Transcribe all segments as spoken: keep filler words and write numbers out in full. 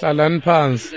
Hlalani phansi.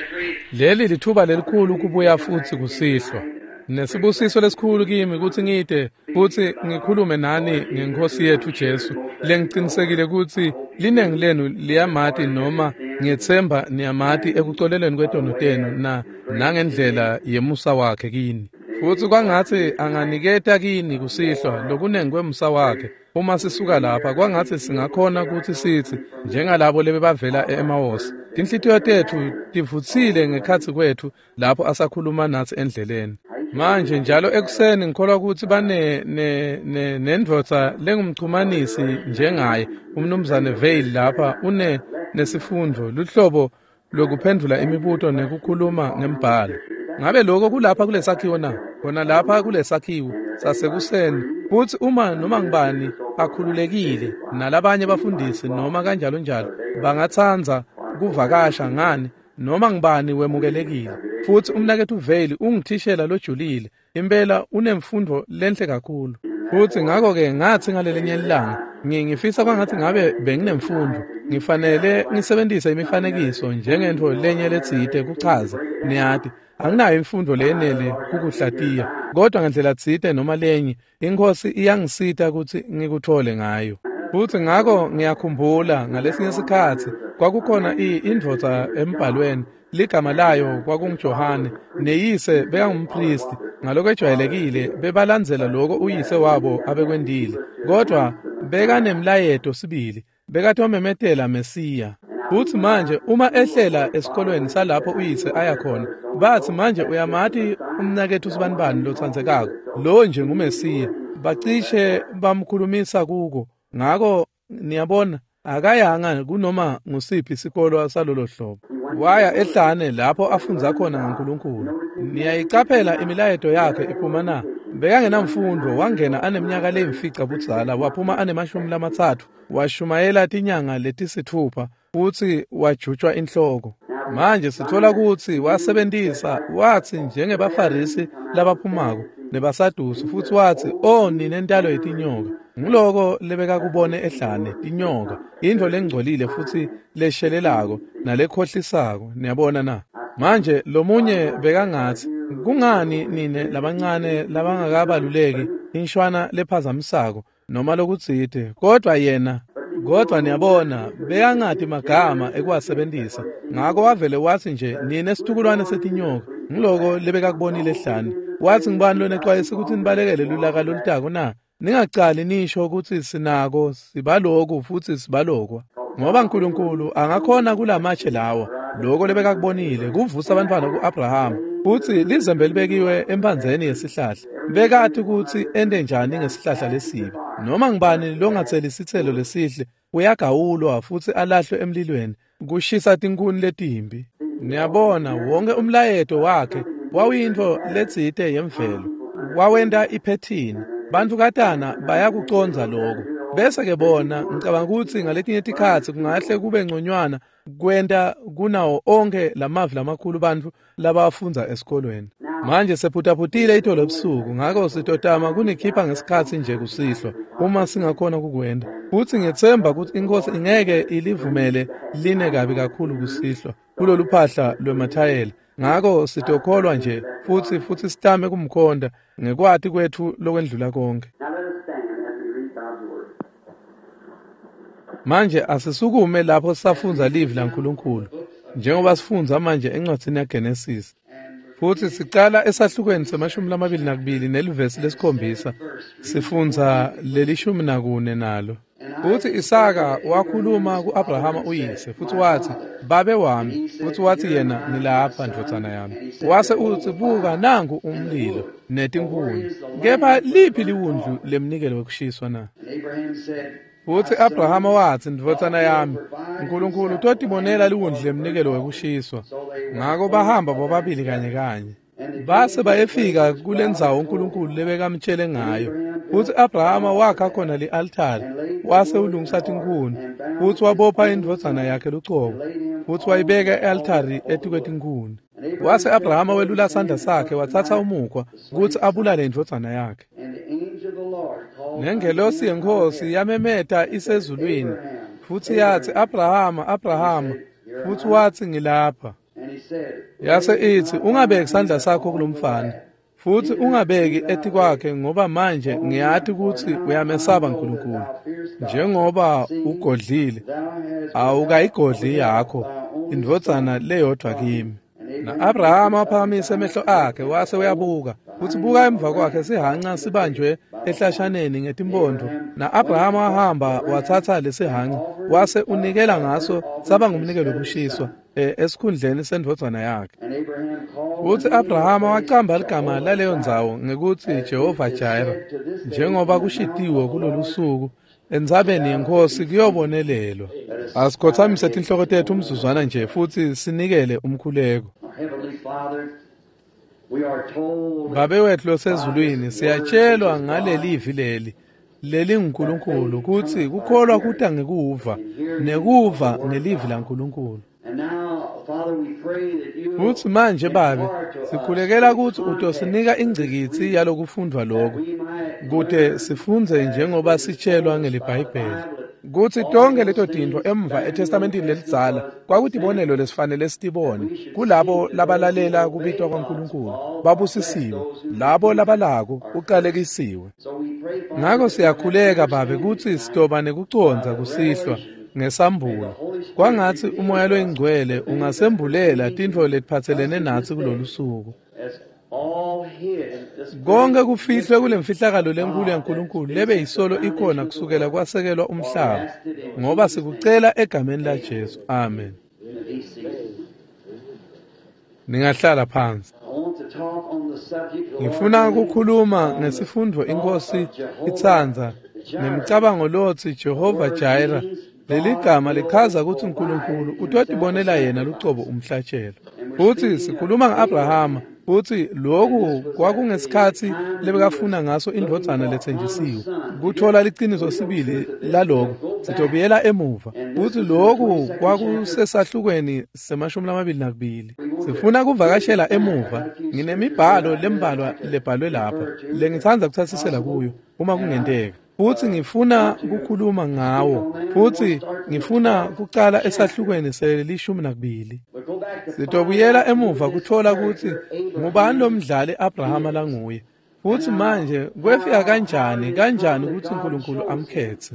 Leli lithuba lelikhulu kubuya futsi kusihlwa. Nesibusiso lesikhulu kimi kutsi ngite futsi ngikhulume nani ngeNkhosi yetfu Jesu. Lengicinisekile kutsi linengi lenu liyamati noma ngiyetsemba niyamati ekucoleleni kwetono tenu na nangendlela yemusa wakhe kini. Futsi kwangatsi anganiketa kini kusihlwa lokunengi kwemusa wakhe. Uma sisuka lapha kwangatsi singakhona kutsi sitsi njengalabo lebebavela e-Emawusi. Tinhlitiyo tetfu tivutsile ngekhatsi kwetfu lapho asakhuluma natsi endleleni. Manje njalo ekuseni ngikholwa kutsi bane ne ne nendvodza lengumchumanisi njengaye umnumzane Vail lapha une nesifundvo luhlobo lokuphendvula imibuto nekukhuluma ngembhalo. Ngabe lokho kulapha kulesakhiwo na? Khona lapha kulesakhiwo sasekuseni. Futsi uma noma ngibani akhululekile nalabanye bafundisi noma kanjalo njalo bangatsandza kuvakasha ngani noma ngibani wemukelekile. Futsi umnaketfu Vail ungithishela lojulile impela unemfundo lenhle kakhulu. Futsi ngakho-ke ngatsi ngalelinye ilanga ngifisa kwangatsi ngabe benginemfundo ngifanele ngisebentise imifanekiso njengentfo lenye letsite kuchaza niyati anginayo imfundo leyenele kukuhlatiya kodwa ngendlela tsite noma lenye iNkhosi iyangisita kutsi ngikuthole ngayo. Futsi ngako ngiyakhumbula ngalesinye sikhatsi kwakukhona indvodza embhalweni ligama layo kwakunguJohane neyise bekangumpristi. Ngalokwejwayelekile bebalandzela lokho uyise wabo abekwendile kodwa bekanemlayeto sibili bekatomemetela Mesiya. Futsi manje uma ehlela esikolweni salapho uyise aya khona batsi manje uyamati umnaketfu sibanibani lotsandzekako lo nje nguMesiya bacishe bamkhulumisa kuko. Ngako niyabona akayanga kunoma ngusiphi isikolo salolo hlobo. Waya ehlane lapho afundza khona ngaNkulunkulu. Niyayicaphela imilayeto yakhe iphuma na? Bekangenamfundo wangena aneminyaka leyimfica budzala waphuma anemashumi lamatsatfu washumayela tinyanga letisitfupha futsi wajutjwa inhloko. Manje sithola kutsi wasebentisa watsi njengebaFarisi labaphumako nebaSadusi futsi watsi o nine ntalo yetinyoka. Nguloko lebekakubone ehlane tinyoka intfo lengcolile futsi leshelelako nalekhohlisako niyabona na. Manje lomunye bekangatsi kungani nine labancane labangakabaluleki inshwana lephazamisako noma lokutsite kodwa yena kodwa niyabona bekangati magama ekuwasebentisa ngako wavele watsi nje nine situkulwane setinyoka. Nguloko lebekakubonile ehlane. Watsi ngibani lonexwayisa kutsi nibalekele lulaka lolutako na? Ningacali nisho kutsi sinako sibaloku futsi sibalokwa ngoba uNkulunkulu angakhona kulamatshe lawa lokho lebekakubonile kuvusa abantwana ku-Abrahama futsi lizembe libekiwe emphandzeni yesihlahla. Bekati kutsi ente njani ngesihlahla lesibi. Noma ngibani longatseli isitselo lesihle uyagawulwa futsi alahlwe emlilweni kushisa tinkhuni letimbi. Niyabona wonke umlayeto wakhe wawuyintfo letsite yemvelo wawenta iphethini. Bantukatana bayakucondza lokho. Bese ke bona ngicabanga kutsi ngaletinye tikhatsi kungahle kube ngconywana kwenta kunawo onke lamavi lamakhulu bantfu labafundza esikolweni. Manje sephutaphutile itolo ebusuku ngako sitotama kunikhipha ngesikhatsi nje kusihlwa uma singakhona kukwenta. Futsi ngiyetsemba kutsi iNkhosi ingeke ilivumele line kabi kakhulu kusihlwa kulolu phahla lwemathayela. Ngako sitokholwa nje futsi futsi sitame kumkhonda ngekwati kwetfu lokwendlula konke. Manje asisukume lapho safundza livi laNkulunkulu njengoba sifundza manje encwadzini yaGenesis. Futsi sicala esahlukweni semashumi lamabili nakubili nelivesi lesikhombisa sifundza lelishumi nakune nalo. Futsi Isaka wakhuluma ku-Abrahama uyise futsi watsi babe wami futsi watsi yena ngilapha ndvodzana yami. Wase utsi buka nangu umlilo netinkhuni kepha liphi liwundlu lemnikelo wekushiswa na? Futsi Abrahama watsi ndvodzana yami uNkulunkulu utotibonela liwundlu lemnikelo wekushiswa. Ngako bahamba bobabili kanye kanye. Base bayefika kulendzawo uNkulunkulu lebekamtshele ngayo. Futsi Abrahama wakha khona li-altari wase ulungisa tinkhuni futsi wabopha indvodzana yakhe lucobo futsi wayibeka e-altari etikwetinkuni. Wase Abrahama welula sandla sakhe watsatsa umukhwa kutsi abulale indvodzana yakhe. Nengelosi yeNkhosi yamemeta isezulwini futsi yatsi Abrahama Abrahama. Futsi watsi, "Ngilapha." Yase itsi, "Ungabeki sandla sakho kulomfana, futsi ungabeki etikwakhe, ngoba manje ngiyati kutsi uyamesaba Nkulunkulu. Njengoba ugodlile, awukayigodli yakho indvodzana leyodvwa kimi." Na-Abrahama waphakamise emehlo akhe wase uyabuka, futsi buka emva kwakhe sihhanca sibanjwe ehlashaneni ngetimpondo. Na-Abrahama wahamba watsatsa lesihhanca wase unikela ngaso saba ngumnikelo wekushiswa esikhundleni sendvodzana yakhe. Futsi Abrahama wacamba ligama laleyo ndzawo ngekutsi Jehova Jireh, njengoba kushitiwe kulolu suku, entsabeni yeNkhosi kuyobonelelwa. Asikhotsamise tinhloko tetfu umzuzwana nje futsi sinikele umkhuleko. Babe wetfu losezulwini, siyatshelwa ngalelivi leli lelinguNkulunkulu kutsi kukholwa kuta ngekuva, nekuva ngelivi laNkulunkulu. Futsi manje Babe, sikhulekela kutsi utosinika ingcikitsi yalokufundvwa lokhu, kute sifundze njengoba sitshelwa ngeliBhayibheli, kutsi tonkhe leto tintfo emva eTestamentini lelidzala kwakutibonelo lesifanele sitibone kulabo labalalela kubitwa kwaNkulunkulu babusisiwe, labo labalako uqalekisiwe. Ngako siyakhuleka Babe kutsi sitoba nekucondza kusihlwa ngesambulo. Kwangatsi uMoya loyiNgcwele ungasembulela tintfo letiphatselene natsi kulolu suku. Konke kufihlwe kulemfihlakalo lenkulu yaNkulunkulu lebe yisolo ikhona kusukela kwasekelwa umhlaba, ngoba sikucela egameni laJesu. Amen. Ningahlala phansi. Ngifuna ukukhuluma ngesifundvo iNkosi itsandza nemicabango lotsi Jehova Jireh. Leli gama lichaza ukuthi uNkulunkulu utotibonela yena lucobo umhlatshelo. Futsi sikhuluma nge-Abrahama, futsi loku kwakungesikhatsi lebekafuna ngaso indvodzana letsenjisiwe. Kuthola liciniso sibili laloko, sitobuyela emuva. Futsi loku kwakusesahlukweni semashumi lamabili nakubili. Sifuna kuvakashela emuva. Nginemibhalo lembalwa lebhalwe lapha lengitsandza kutsatsisela kuyo uma kungenteka. Futsi ngifuna kukhuluma ngawo, futsi ngifuna kucala esahlukweni selishumi nakubili. Sitobuyela emuva kuthola kutsi ngubani lomdlali Abrahama languye, futsi manje kwefika kanjani kanjani kutsi uNkulunkulu amkhetse.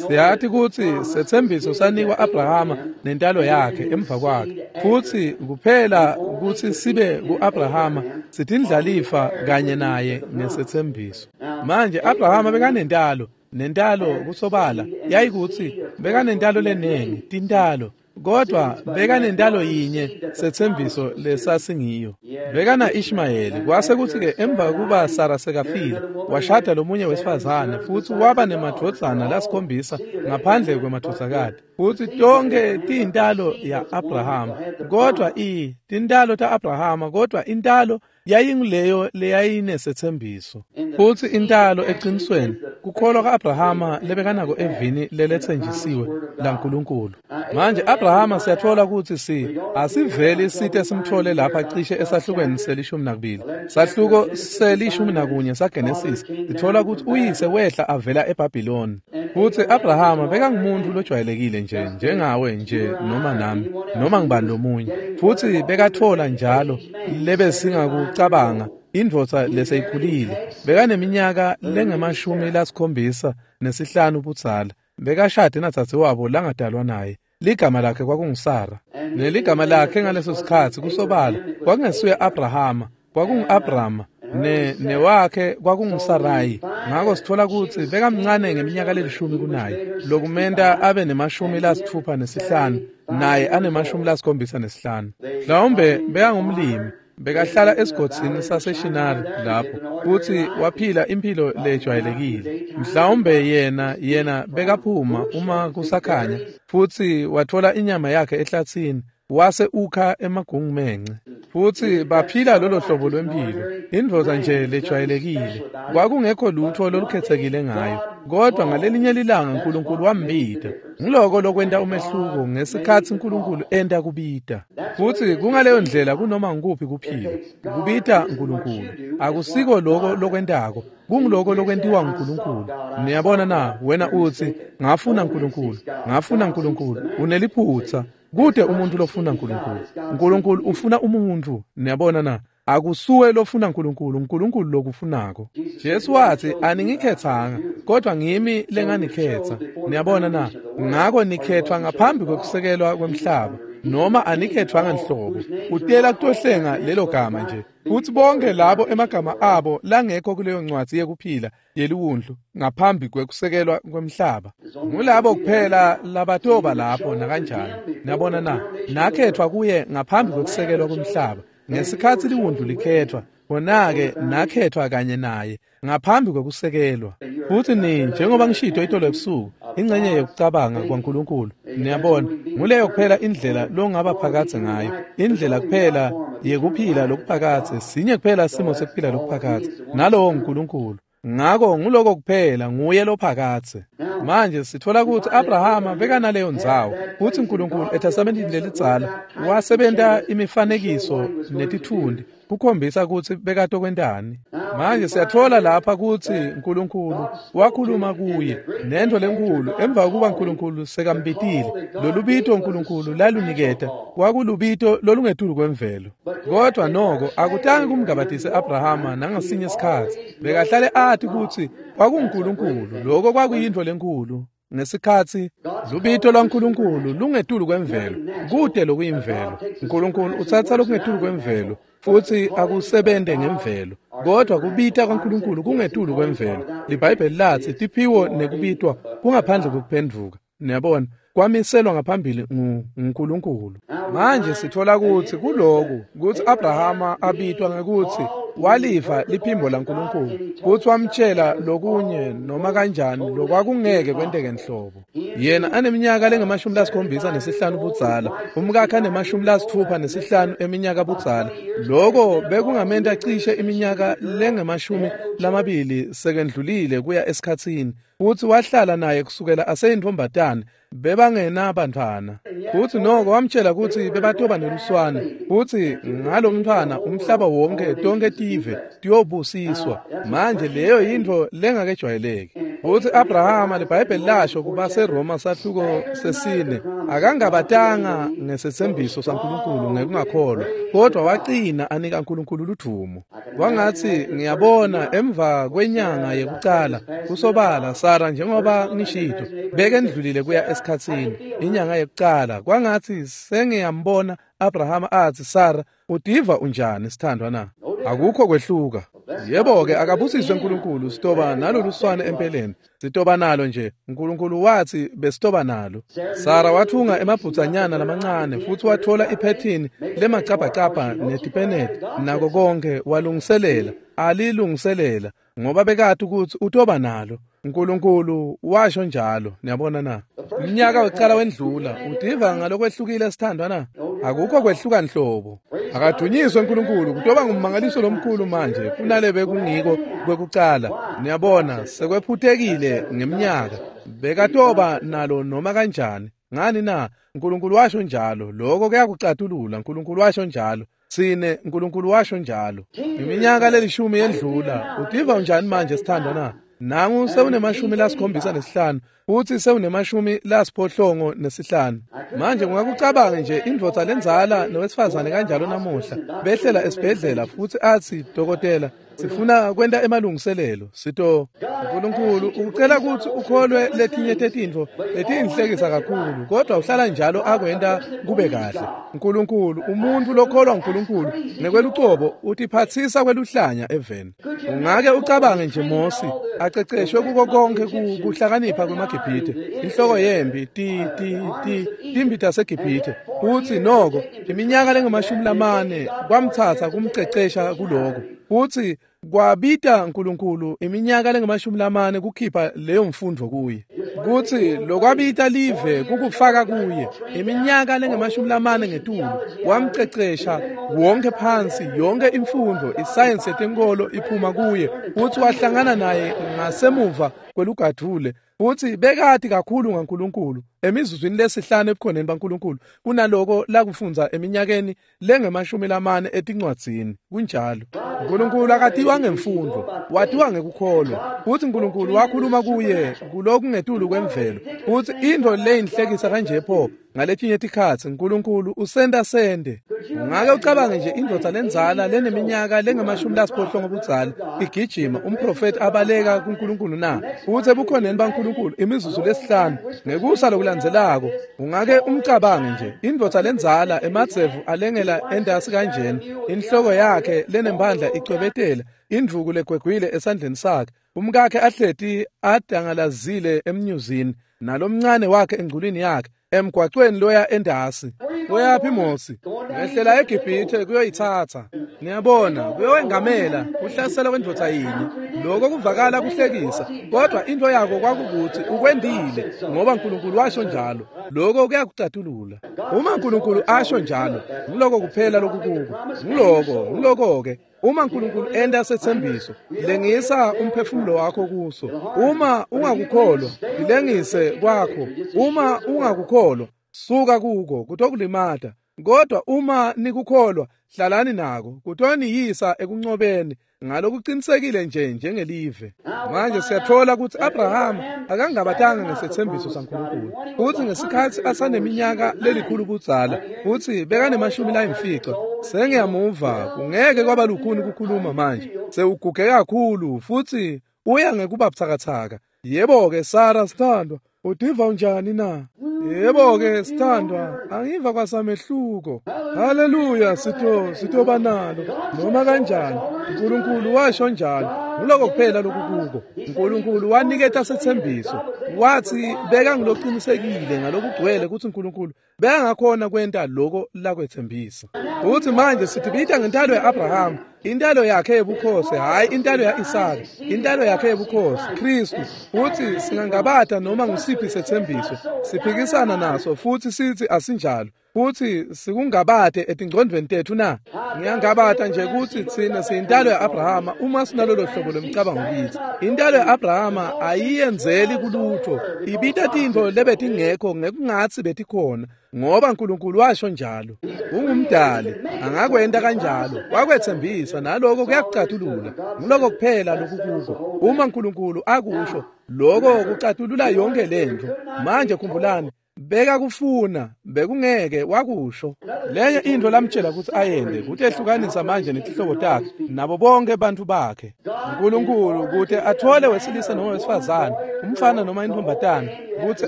Siyati kutsi setsembiso sanikwa Abrahama nentalo yakhe emva kwakhe, futsi kuphela kutsi sibe ku-Abrahama sitindlalifa kanye naye ngesetsembiso. Manje Abrahama bekanentalo, nentalo kusobala yayikutsi bekanentalo lenengi, tintalo, kodwa bekanentalo yinye setsembiso lesasingiyo. Bekana Ishmayeli, kwase kutsi-ke emva kuba Sara sekafile, washada lomunye wesifazane futsi waba nemadvodzana lasikhombisa ngaphandle kwemadvodzakati. Futsi tonke tiyintalo ya-Abrahama, kodwa i tintalo ta-Abrahama, kodwa intalo yayinguleyo leyayinesetsembiso. Futsi intalo eqinisweni kukholwa ka-Abrahama lebekanako evini leletsenjisiwe laNkulunkulu. Manje Abrahama siyathola kutsi si asiveli site simthole lapha cishe esahlukweni selishumi nakubili, sahluko selishumi nakunye saGenesis. Sithola kutsi uyise wehla avela eBhabhiloni. Futsi Abrahama bekangumuntu lojwayelekile nje, njengawe nje noma nami noma ngibani lomunye. Futsi bekathola njalo lebesingakucabanga indvodza leseyikhulile. Bekaneminyaka lengemashumi lasikhombisa nesihlanu budzala. Bekashade nadzadzewabo langadalwa naye. Ligama lakhe kwakunguSara. Neligama lakhe ngaleso sikhatsi kusobala kwakungesuye Abrahama, kwakungu-Abrama, ne newakhe kwakunguSarayi. Ngako sithola kutsi bekamncane ngeminyaka lelishumi kunaye, lokumenta abe nemashumi lasitfupha nesihlanu, naye anemashumi lasikhombisa nesihlanu. Mhlawumbe bekangumlimi, bekahlala esigodzini saseShinari lapho, futsi waphila impilo lejwayelekile. Mhlawumbe yena yena bekaphuma uma kusakhanya, futsi wathola inyama yakhe ehlatsini, wase ukha emagungumence. Futsi baphila lolo hlobo lwempilo, indvodza nje lejwayelekile. Kwakungekho lutho lolukhetsekile ngayo, kodwa ngalelinye lilanga uNkulunkulu wambita. Ngiloko lokwenta umehluko ngesikhatsi uNkulunkulu enta kubita. Futsi kungaleyo ndlela kunoma ngukuphi kuphila, kubita uNkulunkulu. Akusiko loko lokwentako, kunguloko lokwentiwa nguNkulunkulu. Niyabona na, wena utsi ngafuna uNkulunkulu, ngafuna uNkulunkulu, uneliphutsa. Kute umuntu lofuna uNkulunkulu. uNkulunkulu ufuna umuntu. Niyabona na? Akusuwe lofuna uNkulunkulu, uNkulunkulu lokufunako. Jesu wathi aningikhethanga, kodwa ngimi lenganikhetha. Niyabona na? Ngako nikhethwa ngaphambi kwekusekelwa kwemhlaba, noma anikhethwanga nhlobo. Utela kutohlenga lelo gama nje. Kuthi bonke labo emagama abo langekho kuleyo ncwadi yekuphila yeliwundlu ngaphambi kwekusekelwa kwemhlaba, ngulabo kuphela labatoba lapho nakanjani. Niyabona na? Nakhethwa kuye ngaphambi kwekusekelwa kwemhlaba. Ngesikhathi liwundlu likhethwa, khona-ke nakhethwa kanye naye ngaphambi kwekusekelwa. Futhi ni njengoba ngishito itolo ebusuku, ingxenye yokucabanga kwaNkulunkulu. Niyabona, nguleyo kuphela indlela longaba phakathe ngayo, indlela kuphela yekuphila lokuphakathe, sinye kuphela simo sekuphila lokuphakathe, nalowo nguNkulunkulu. Ngako nguloko kuphela nguye lophakathe. Manje sithola ukuthi Abrahama bekanaleyo ndzawo, futhi uNkulunkulu eTestamenteni lelidzala wasebenta imifanekiso netithundi kukhombisa ukuthi bekatokwentani. Manje siyathola lapha ukuthi uNkulunkulu wakhuluma kuye nento lenkulu emva kokuba uNkulunkulu sekambitile. Lolubito uNkulunkulu laluniketa kwakulubito lolungetulu kwemvelo, kodwa noko akutange kumgabatise Abrahama nangasinye isikhathi. Bekahlale athi ukuthi kwakunguNkulunkulu, lokho kwakuyinto lenkulu. Ngesikhathi lubito lwaNkulunkulu lungetulu kwemvelo, kude lokuyimvelo. uNkulunkulu uthatha lokungetulu kwemvelo futhi akusebente ngemvelo, kodwa kubita kwaNkulunkulu kungetulu kwemvelo. LiBhayibheli lathi tiphiwo nekubitwa kungaphandle kokuphenduka. Niyabona, kwamiselwa ngaphambili nguNkulunkulu. Manje sithola ukuthi kuloku ukuthi Abrahama abitwa ngekuthi waliva liphimbo laNkulunkulu, futhi wamtshela lokunye noma kanjani lokwakungeke kwenteke nhlobo. Yena aneminyaka lengamashumi lasikhombisa nesihlanu budzala, umkakhe anemashumi lasithupha nesihlanu eminyaka budzala. Loko bekungamenta cishe iminyaka lengamashumi lamabili sekendlulile kuya esikhatsini, futhi wahlala naye kusukela aseyintombatane. Bebangenabantwana, futhi noko wamtshela ukuthi bebatoba neluswane, futhi ngalomntwana umhlaba wonke tonke tive tiyobusiswa. Manje leyo yintfo lengakejwayeleki. Futhi Abrahama, liBhayibheli lasho kubaseRoma sahluko sesine, akangabatanga ngesethembiso saNkulunkulu ngekungakholwa, kodwa waqina anika uNkulunkulu ludvumo. Kwangathi ngiyabona emva kwenyanga yekucala kusobala Sara, njengoba ngishito, bekendlulile kuya esikhatsini inyanga yekucala. Kwangathi sengiyambona Abrahama athi, Sara, udiva unjani sithandwa na? Akukho kwehluka. Yebo-ke, akabusiswe uNkulunkulu, sitoba nalolu swane empeleni. Sitoba nalo nje. uNkulunkulu wathi besitoba nalo. Sara wathunga emabhutsanyana lamancane futhi wathola iphethini lemacabhacabha netipeneti nako konke, walungiselela, alilungiselela ngoba bekade ukuthi utoba nalo. uNkulunkulu washo njalo. Niyabona na? Umnyaka wekucala wendlula. Udiva ngalokwehlukile sithandwa na? Akukho kwehluka nhlobo. Akadunyiswe uNkulunkulu, kutoba ngummangaliso lomkhulu manje kunale bekungiko kwekucala. Niyabona, sekwephutekile ngeminyaka. Bekatoba nalo noma kanjani. Ngani na? uNkulunkulu washo njalo. Lokho kuyakucatulula. uNkulunkulu washo njalo. Sine uNkulunkulu washo njalo. Iminyaka lelishumi yendlula. Udiva unjani manje sithandwa na? Nangu sewunemashumi lasikhombisa nesihlanu, futhi sewunemashumi lasiphohlongo nesihlanu. Manje ungakucabanga nje indvodza lenzala nowesifazane kanjalo namuhla behlela esibhedlela futhi athi, dokotela, sifuna kwenta emalungiselelo. Sito uNkulunkulu ucela ukuthi ukholwe letinye tetintfo letinhlekisa kakhulu, kodwa uhlala njalo akwenta kube kahle. uNkulunkulu, umuntu lokholwa uNkulunkulu ngekwelucobo utiphatsisa kweluhlanya eveni. Ungake ucabange nje Mosi aceceshwe kuko konke kuhlakanipha kwemaGibhithe, inhloko yempi, ti ti ti timbi taseGibhithe, futhi noko iminyaka lengamashumi lamane kwamthatha kumcecesha kuloko, futhi kwabita uNkulunkulu iminyaka lengamashumi lamane kukhipha leyo mfundo kuye. Kuthi lokwabita live kukufaka kuye iminyaka lengamashumi lamane ngetulu, wamcecesha wonke phansi, yonke imfundo, isayensi yetenkolo iphuma kuye, futhi wahlangana naye ngasemuva kwelugadvule, futhi bekati kakhulu ngaNkulunkulu emizuzwini lesihlanu ebukhoneni baNkulunkulu kunaloko lakufundza eminyakeni lengemashumi lamane etincwadzini. Kunjalo. uNkulunkulu akatiwa ngemfundo, watiwa ngekukholwa. Futhi uNkulunkulu wakhuluma kuye kulokungetulu kwemvelo Futsi intfo leyinhlekisa kanje pho ngaletinye tikhatsi Nkulunkulu usenta sende. Ungake ucabange nje indvodza lendzala leneminyaka lengamashumi lasiphohlongo budzala igijima umprofeti abaleka kuNkulunkulu na? Futsi ebukhoneni baNkulunkulu imizuzu lesihlanu ngekusa lokulandzelako ungake umcabange nje indvodza lendzala emadzevu alengela endasi kanjena, inhloko yakhe lenemphandla icwebetela, indvuku legwegwile esandleni sakhe, umkakhe ahleti adangalazile emnyuzini nalomncane wakhe engculwini yakhe emgwacweni loya endasi. Uyaphi Mosi? Ngehlela eGibhithe kuyoyithatha. Niyabona, kuyowengamela kuhlasela kwendvodza yinye. Lokho kuvakala kuhlekisa, kodwa into yako kwakukuthi ukwendile ngoba uNkulunkulu washo njalo. Lokho kuyakucatulula. Uma uNkulunkulu asho njalo, ngiloko kuphela lokukuko. Ngiloko, ngiloko ke. Uma uNkulunkulu enda sethembiso, lengisa umphefumulo wakho kuso. Uma ungakukholwa, ilengise kwakho. Uma ungakukholwa, suka kuko, kutokulimata. Kodwa uma nikukholwa, hlalani nako, kutoniyisa ekuncobeni ngalokuqinisekile nje njengelive. Manje siyathola ukuthi Abraham akangabatanga ngesethembiso saNkulunkulu. Futhi ngesikhathi asaneminyaka lelikhulu budzala, futhi bekanemashumi layimfica. Sengiyamuva, kungeke kwaba lukhuni ukukhuluma manje. Sewuguge kakhulu futhi uya ngekuba buthakathaka. Yebo-ke Sara sithandwa, udiva unjani na? Yebo-ke sithandwa, angiva kwasamehluko. Haleluya, sitho sithoba nalo noma kanjani. uNkulunkulu washo njalo. Ngiloko kuphela lokukuko. uNkulunkulu waniketa sethembiso. Wathi beka ngiloqinisekile ngalokugcwele ukuthi uNkulunkulu bekangakhona kwenta lokho lakwethembisa. Uthi manje sithi bita ngentalo yaAbraham, intalo yakhe yebukhosi, hayi intalo yaIsaka, intalo yakhe yebukhosi, Kristu. Uthi singangabata noma ngusiphi sethembiso, siphikisana naso futhi sithi asinjalo. Futhi sikungabate etingcondweni tethu na? Ngiyangabata nje ukuthi thina siyintalo yaAbrahama uma sinalolo hlobo lomcabango kithi. Intalo yaAbrahama ayiyenzeli kulutho, ibita tintfo lebetingekho ngekungatsi betikhona, ngoba uNkulunkulu washo njalo. Ungumdali, angakwenta kanjalo. Wakwethembisa naloko kuyakucatulula. Ngiloko kuphela lokukuko. Uma uNkulunkulu akusho, lokho kucatulula yonke lento. Manje khumbulani, beka kufuna bekungeke wakusho. Lenye into lamtshela ukuthi ayende kutehlukanisa manje netihlobo takhe nabo bonke abantu bakhe. uNkulunkulu ukuthi athole wesilisa noma wesifazane, umfana noma intombatana, ukuthi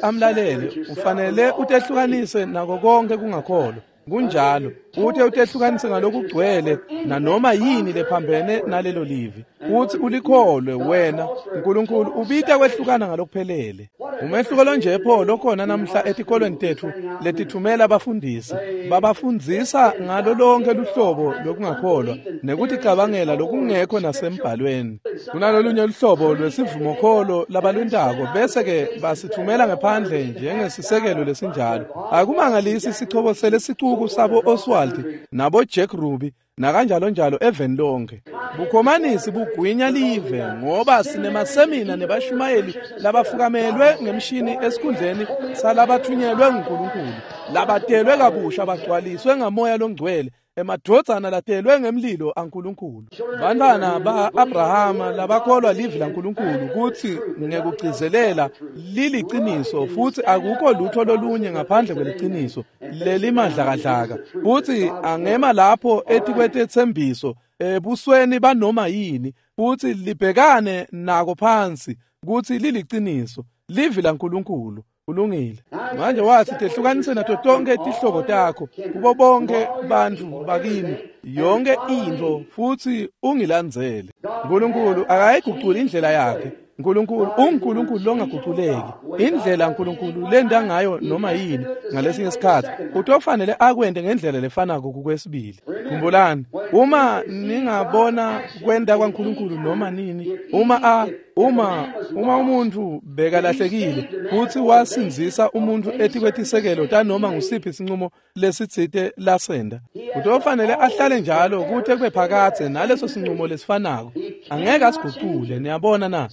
amlalele, ufanele utehlukanise nako konke kungakholwa. Kunjalo, uthe utehlukanise ngalokugcwele nanoma yini lephambene nalelo livi. Uthi ulikholwe wena, uNkulunkulu ubita kwehlukana ngalokuphelele. Umehluko lonje pho lokhona namhla etikolweni tethu letithumela abafundisi, babafundzisa ngalo lonke luhlobo lokungakholwa nekuthi cabangela lokungekho nasembhalweni. Kunalolunye luhlobo lwesivumokholo labalwentako bese ke basithumela ngephandle njengesisekelo lesinjalo. Akumangalisi sichobosele sicuku sabo Oswald nabo Jack Ruby nakanjalo njalo eveni lonke. Bukhomanisi bugwinya live ngoba sinemasemina nebashumayeli labafukamelwe ngemshini esikhundleni salabathunyelwe nguNkulunkulu, labatelwe kabusha bagcwaliswe ngamoya longcwele, emadvodzana latelwe ngemlilo aNkulunkulu. Bantwana ba-Abrahama labakholwa livi laNkulunkulu kuthi ngekugcizelela liliciniso futhi akukho lutho lolunye ngaphandle kweliciniso lelimadlakadlaka, futhi angema lapho etikwetethembiso ebusweni banoma yini futhi libhekane nako phansi kuthi liliciniso livi laNkulunkulu. Kulungile. Manje wathi tehlukanise nato tonke tihlobo takho kubo bonke bantu bakini, yonke into, futhi ungilandzele. uNkulunkulu akayiguculi indlela yakhe. uNkulunkulu unguNkulunkulu longaguculeki. Indlela uNkulunkulu lenda ngayo noma yini ngalesinye isikhathi utofanele akwente ngendlela lefanako kukwesibili. Khumbulani, uma ningabona kwenda kwaNkulunkulu noma nini, uma a uma uma umuntu bekalahlekile futhi wasinzisa umuntu etikwetisekelo tanoma ngusiphi isinqumo lesitsite lasenda, utofanele ahlale njalo kute kube phakadze naleso sinqumo lesifanako. Angeke asigucule. Niyabona na?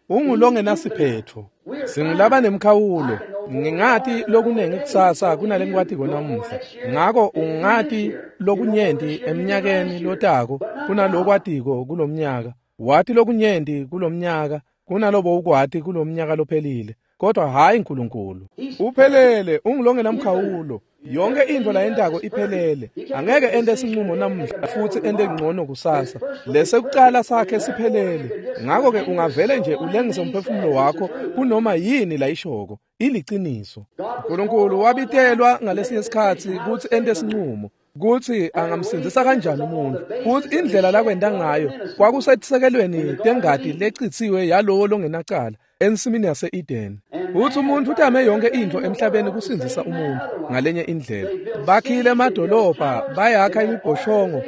Ungulongenasiphetho. Singulaba nemkhawulo. Ngingati lokunengi kusasa kunale ngikwatiko namuhla. Ngako ungati lokunyenti eminyakeni lotako kunalokwatiko kulomnyaka. Wati lokunyenti kulomnyaka kunalobo ukwati kulomnyaka lophelile. kodwa hhayi Nkulunkulu. Uphelele, ungulongenamkhawulo. Yonke into layentako iphelele. Angeke ente sinqumo namuhla futhi ente ngcono kusasa. Lesekucala sakhe siphelele. Ngakho-ke ungavele nje ulengise umphefumulo wakho kunoma yini layishoko. Iliciniso. Nkulunkulu wabitelwa ngalesinye sikhatsi kutsi ente sinqumo kutsi angamsindzisa kanjani umuntu, kutsi indlela lakwenta ngayo kwakusetisekelweni tengati lecitsiwe yalowo longenacala ensimini yase-Eden. Kutsi umuntu utame yonke intfo emhlabeni kusindzisa umuntu ngalenye indlela. Bakhile emadolobha, bayakha imibhoshongo,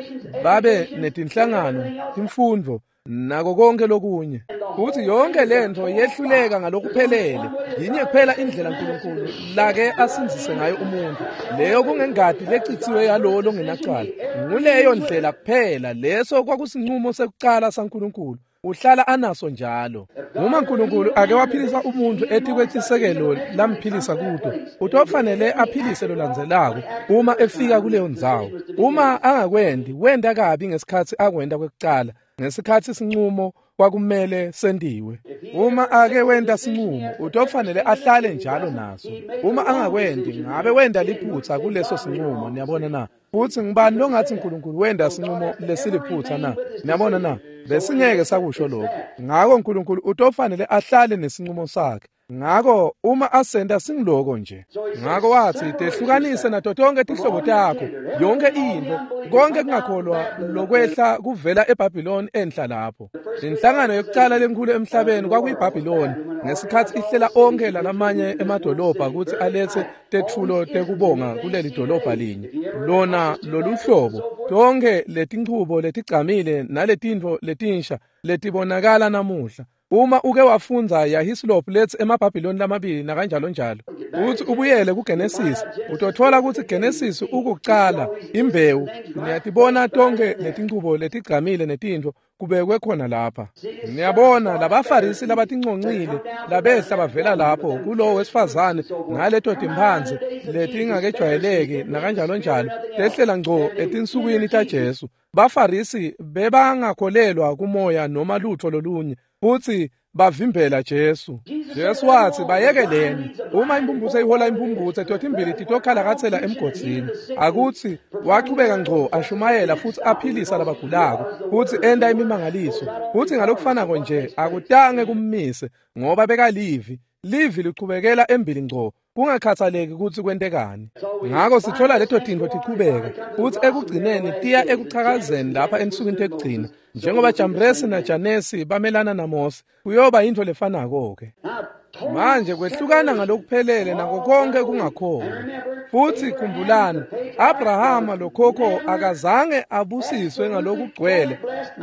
babe netinhlangano, timfundvo, nako konke lokunye. Kutsi yonke lentfo yehluleka ngalokuphelele. Yinye kuphela indlela Nkulunkulu lake asindzise ngayo umuntu, leyo kungengati lecitsiwe yalowo longenacala. Nguleyo ndlela kuphela. Leso kwakusinqumo sekucala saNkulunkulu. Uhlala anaso njalo. Uma Nkulunkulu ake waphilisa umuntu etikwetisekelo lamphilisa kuto, utofanele aphilise lolandzelako uma efika kuleyo ndzawo. Uma angakwendi, wenta kabi ngesikhatsi akwenta kwekucala, ngesikhatsi sinqumo kwakumele sentiwe. Uma ake wenta sinqumo, utofanele ahlale njalo naso. Uma angakwendi, ngabe wenta liphutsa kuleso sinqumo. Niyabona na? Futsi ngibani longathi Nkulunkulu wenta sinqumo lesiliphutsa na? Niyabona na? Besingeke sakusho lokho. Ngako Nkulunkulu utofanele ahlale nesinqumo sakhe. Ngako uma asenta singiloko nje. Ngako watsi tehlukanise nato tonke tihlobo takho, yonke intfo, konke kungakholwa lokwehla kuvela eBhabhiloni enhla lapho. Inhlangano yokucala lenkhulu emhlabeni kwakuyiBhabhiloni ngesikhatsi ihlela onke lalamanye emadolobha kutsi alethe tetfulo tekubonga kuleli dolobha linye. Lona loluhlobo, tonke letinchubo letigcamile naletintfo letinsha letibonakala namuhla. Uma uke wafundza yaHislop letsi emaBhabhiloni lamabili nakanjalo njalo, uthi ubuyele kuGenesis, utothola kutsi Genesis ukucala imbewu. Niyatibona tonke letinchubo letigcamile netintfo kubekwe khona lapha. Niyabona labaFarisi labatinconcile labehla bavela lapho kulowo wesifazane ngaleto timphandze letingakejwayeleki nakanjalo njalo, tehlela ngco etinsukwini taJesu. Bafarisi bebangakholelwa kumoya noma lutho lolunye, futsi bavimbela Jesu. Jesu watsi bayekeleni. Uma imphumphutse ihola imphumphutse, totimbili titokhalakatsela emgodzini. Akutsi wachubeka ngco ashumayela futsi aphilisa labagulako, futsi enta imimangaliso. Futsi ngalokufanako nje akutange kummise, ngoba bekalivi. Livi lichubekela embili ngco, kungakhathaleki kutsi kwentekani. Ngako sithola leto tintfo tichubeka, futsi ekugcineni tiya ekuchakazeni lapha ensukwini tekugcina. Njengoba Jambresi naJanesi bamelana naMose, kuyoba intfo lefanako-ke. Manje kwehlukana ngalokuphelele nako konke kungakholwa. Futsi khumbulani, Abrahama lokhokho akazange abusiswe ngalokugcwele,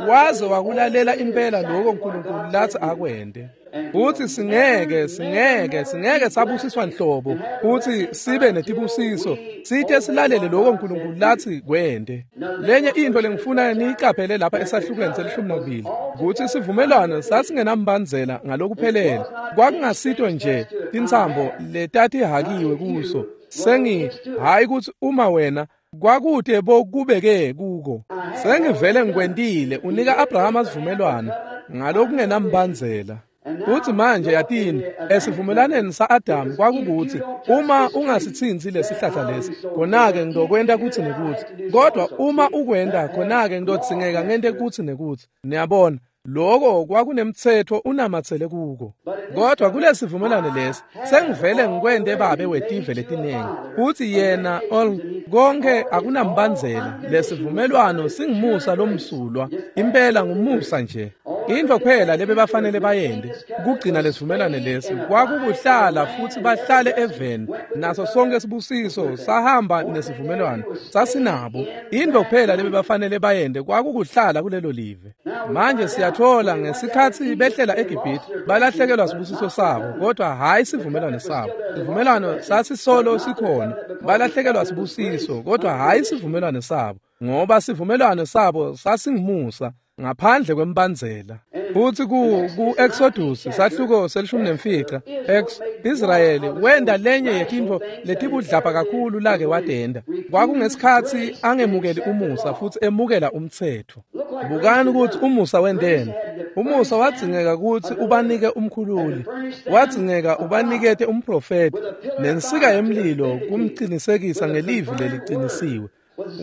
waze wakulalela impela lokho Nkulunkulu latsi akwente. Futsi singeke singeke singeke sabusiswa nhlobo futsi sibe netibusiso site silalele lokho Nkulunkulu latsi kwente. Lenye intfo lengifuna niyicaphele lapha esahlukweni selishumi nakubili kutsi sivumelwano sasingenambandzela ngalokuphelele. Kwakungasito nje tintsambo letatihakiwe kuso. Sengi hayi kutsi uma wena kwakute bokubeke kuko. Sengivele ngikwentile. Unika Abrahama sivumelwano ngalokungenambandzela. Futsi manje yatini, esivumelwaneni sa-Adamu kwakukuthi uma ungasitsintsi lesihlahla lesi, khona-ke ngitokwenta kutsi nekutsi. Kodwa uma ukwenta, khona-ke ngitodzingeka ngente kutsi nekutsi. Niyabona, loko kwakunemtsetfo unamatsele kuko. Kodwa kulesivumelwano lesi, sengivele ngikwente babe wetive letinengi. Futsi yena all konke akunambandzela. Lesivumelwano singumusa lomsulwa, impela ngumusa nje. Intfo kuphela lebebafanele bayente kugcina lesivumelwano lesi kwakukuhlala futsi bahlale eveni, naso sonke sibusiso sahamba nesivumelwano sasinabo. Intfo kuphela lebebafanele bayente kwakukuhlala kulelo live. Manje siyathola ngesikhatsi behlela eGibhithe balahlekelwa sibusiso sabo, kodwa hhayi sivumelwano sabo. Sivumelwano sasisolo sikhona. Balahlekelwa sibusiso, kodwa hhayi sivumelwano sabo, ngoba sivumelwano sabo sasingumusa ngaphandle kwembandzela. Futsi ku ku-Exodus sahluko selishumi nemfica ex Israyeli wenda lenye yetintfo letibudlapha kakhulu lake watenda. Kwakungesikhatsi angemukeli umusa futsi emukela umtsetfo. Bukani ukuthi umusa wendeni. Umusa wadzingeka kutsi ubanike umkhululi, wadzingeka ubanikete umprofeti nensika yemlilo kumcinisekisa ngelivi leliqinisiwe.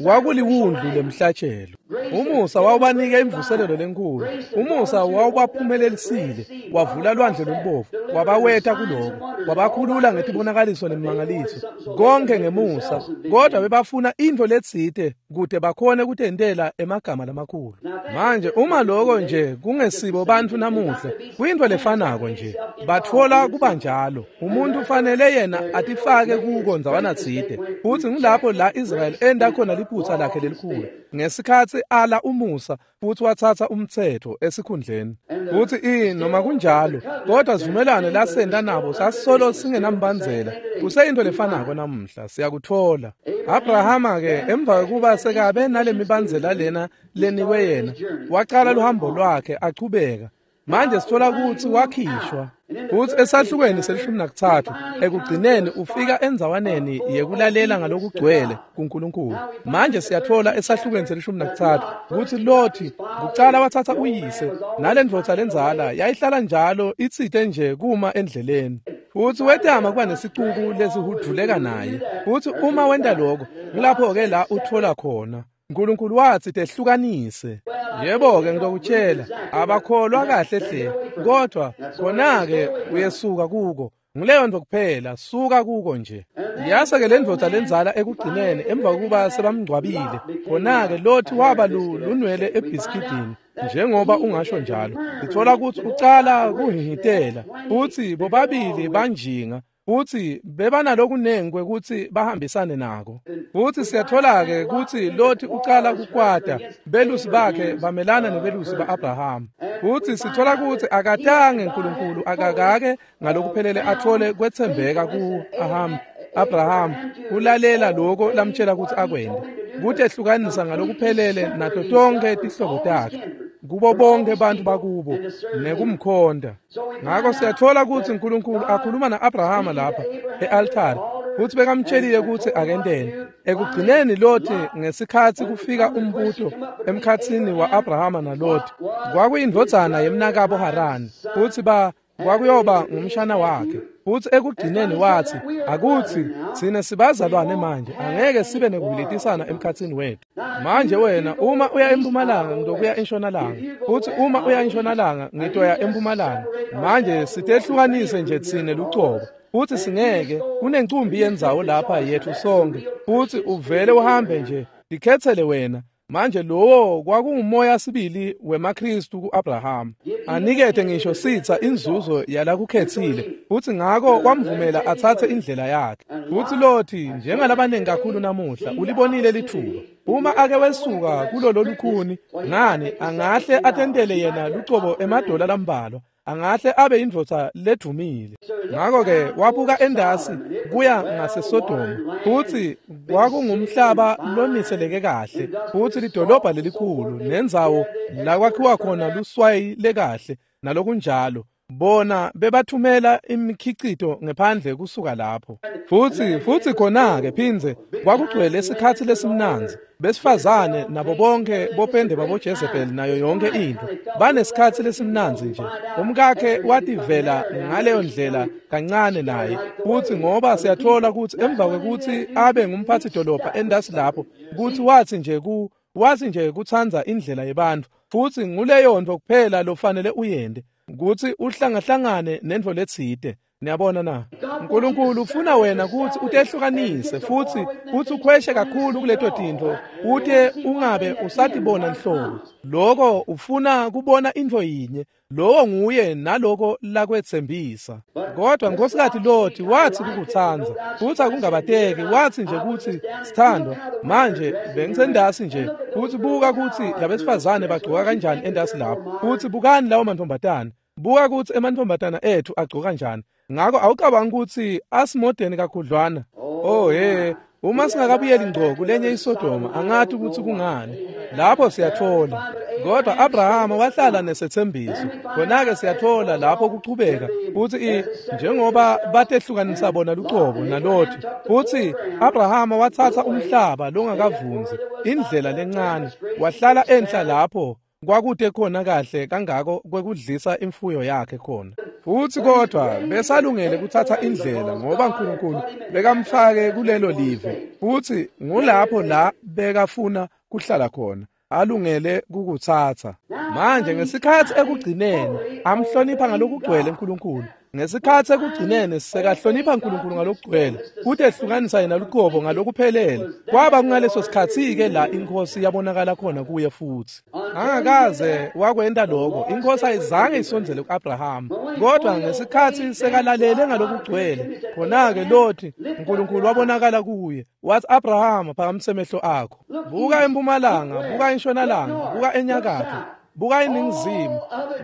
Kwakuliwundlu lemhlatshelo. Umusa wawubanika imvuselelo lenkhulu. Umusa wawubaphumelelisile, wavula lwandle lolubovu, wabaweta kuloko, wabakhulula ngetibonakaliso nemimangaliso, konke ngemusa. Kodwa bebafuna intfo letsite kute bakhone kutentela emagama lamakhulu. Manje uma loko nje kungesibo bantfu namuhla, kuyintfo lefanako nje. Batfola kuba njalo. Umuntu ufanele yena atifake kuko ndzawana tsite. Futsi ngilapho la Israel enda khona liphutsa lakhe lelikhulu. Ngesikhatsi ala umusa futsi watsatsa umtsetfo esikhundleni. Futsi i noma kunjalo, kodwa sivumelwano lasenta nabo sasolo singenambandzela. Kuseyintfo lefanako namuhla, siyakutfola. Abrahama ke emva kwekuba sekabe nalemibandzela lena lenikwe yena, wacala luhambo lwakhe achubeka. Manje sithola kutsi wakhishwa. Futsi esahlukweni selishumi nakutsatfu ekugcineni ufika endzawaneni yekulalela ngalokugcwele kuNkulunkulu. Manje siyatfola esahlukweni selishumi nakutsatfu kutsi Loti kucala watsatsa uyise nalendvodza lendzala yayihlala njalo itsite nje kuma endleleni. Futsi wetama kuba nesicuku lesihudvuleka naye. Futsi uma wenta lokho, ngilapho-ke la utfola khona. Nkulunkulu watsi tehlukanise. Yebo-ke ngitokutshela, abakholwa kahle hle, kodwa khona-ke uyesuka kuko. Nguleyo nto kuphela, suka kuko nje. Yase-ke le ndvodza lendzala ekugcineni emva kokuba sebamngcwabile, khona-ke Loti waba lunwele ebhiskidini, njengoba ungasho njalo. Sitfola kutsi ucala kuhhihhitela, futsi bobabili banjinga. Futsi bebanalokunengi kwekutsi bahambisane nako. Futsi siyatfola-ke kutsi Loti ucala kukwata, belusi bakhe bamelana nebelusi ba-Abrahama. Futsi sitfola kutsi akatange Nkulunkulu akakake ngalokuphelele atfole kwetsembeka ku-Aham, Abraham, kulalela loko lamtshela kutsi akwente, kutehlukanisa ngalokuphelele nato tonkhe tihlobo takhe, kubo bonke bantfu bakubo nekumkhonta. Ngako siyatfola kutsi Nkulunkulu akhuluma na-Abrahama lapha e-altari, futsi bekamtshelile kutsi akenteni. Ekugcineni Loti ngesikhatsi kufika umbuto emkhatsini wa-Abrahama naLoti, kwakuyindvodzana yemnakabo Harani, futsi ba kwakuyoba ngumshana wakhe. Futsi ekugcineni watsi, akutsi tsine sibazalwane manje, angeke sibe nekuhilitisana emkhatsini wetfu. Manje wena uma uya empumalanga ngitokuya entshonalanga, futsi uma uya entshonalanga ngitoya empumalanga. Manje sitehlukanise nje tsine lucobo, futsi singeke, kunencumbi yendzawo lapha yetfu sonke, futsi uvele uhambe nje, tikhetsele wena. Manje lowo kwakungumoya sibili wemaKristu ku-Abrahama. Anikete ngisho sitsa inzuzo yalakukhetsile, futsi ngako wamvumela atsatse indlela yakhe. Futsi Loti njengalabanengi kakhulu namuhla ulibonile litfuba. Uma ake wesuka kulolo lukhuni, ngani angahle atentele yena lucobo emadola lambalwa, angahle abe indvodza ledvumile. Ngako-ke wabuka endasi kuya ngaseSodoma, futsi kwakungumhlaba loniseleke kahle, futsi lidolobha lelikhulu nendzawo la kwakhiwa khona luswayi lekahle nalokunjalo. Bona bebathumela imikhicito ngephandle kusuka lapho. Futsi futsi khona-ke phindze kwakugcwele isikhatsi lesimnandzi. Besifazane nabo bonke bopende babo Jezebel nayo yonke into banesikhatsi lesimnandzi nje. Umkakhe wativela ngaleyo ndlela kancane naye, futsi ngoba siyatfola kutsi emva kwekutsi abe ngumphatsi dolobha endasi lapho, kutsi watsi nje ku watsi nje kutsandza indlela yebantfu, futsi nguleyo nto kuphela lofanele uyente, kutsi uhlangahlangane nentfo letsite. Niyabona na? Nkulunkulu ufuna wena kutsi utehlukanise futsi futsi ukhweshe kakhulu kuleto tintfo ute ungabe usatibona nhlobo. Loko ufuna kubona intfo yinye, lowo nguye naloko lakwetsembisa. Kodwa Nkhosikati Loti watsi kukutsandza, futsi akungabateki, watsi nje kutsi sithandwa, manje bengisendasi nje, futsi buka kutsi labesifazane bagcoka kanjani endasi lapho, futsi bukani lawo mantfombatana, buka kutsi emantfombatana etfu agcoka kanjani. Ngako awucabangi kutsi asimodeni kakhudlwana? Oh he, uma singakabuyeli ngco kulenye iSodoma, angathi kutsi kungani. Lapho siyatfola Kodwa Abrahama wahlala nesethembiso. Khona-ke siyathola lapho kuchubeka futhi njengoba batehlukanisa bona lucobo naLothi, futhi Abrahama wathatha umhlaba longakavunzi, indlela lencane, wahlala enhla lapho kwakude khona kahle kangako kwekudlisa imfuyo yakhe khona. Futhi kodwa besalungele kuthatha indlela ngoba uNkulunkulu bekamfake kulelo live, futhi ngulapho la bekafuna kuhlala khona, alungele kukuthatha. Manje ngesikhathi ekugcineni amhlonipha ngalokugcwele uNkulunkulu. Ngesikhathi ekugcineni sekahlonipha uNkulunkulu ngalokugcwele, kuthi ehlukanisa yena luqobo ngalokuphelele. Kwaba kungaleso sikhathi-ke la inkosi yabonakala khona kuye futhi. Angakaze wakwenta lokho, inkosi ayizange isondzele ku-Abrahama. Kodwa ngesikhathi sekalalele ngalokugcwele, khona-ke Lothi uNkulunkulu wabonakala kuye. Wathi, Abrahama, phakamisa emehlo akho. Buka empumalanga, buka entshonalanga, buka enyakatho, buka eningizimu,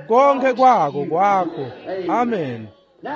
konke kwako kwakho. Amen.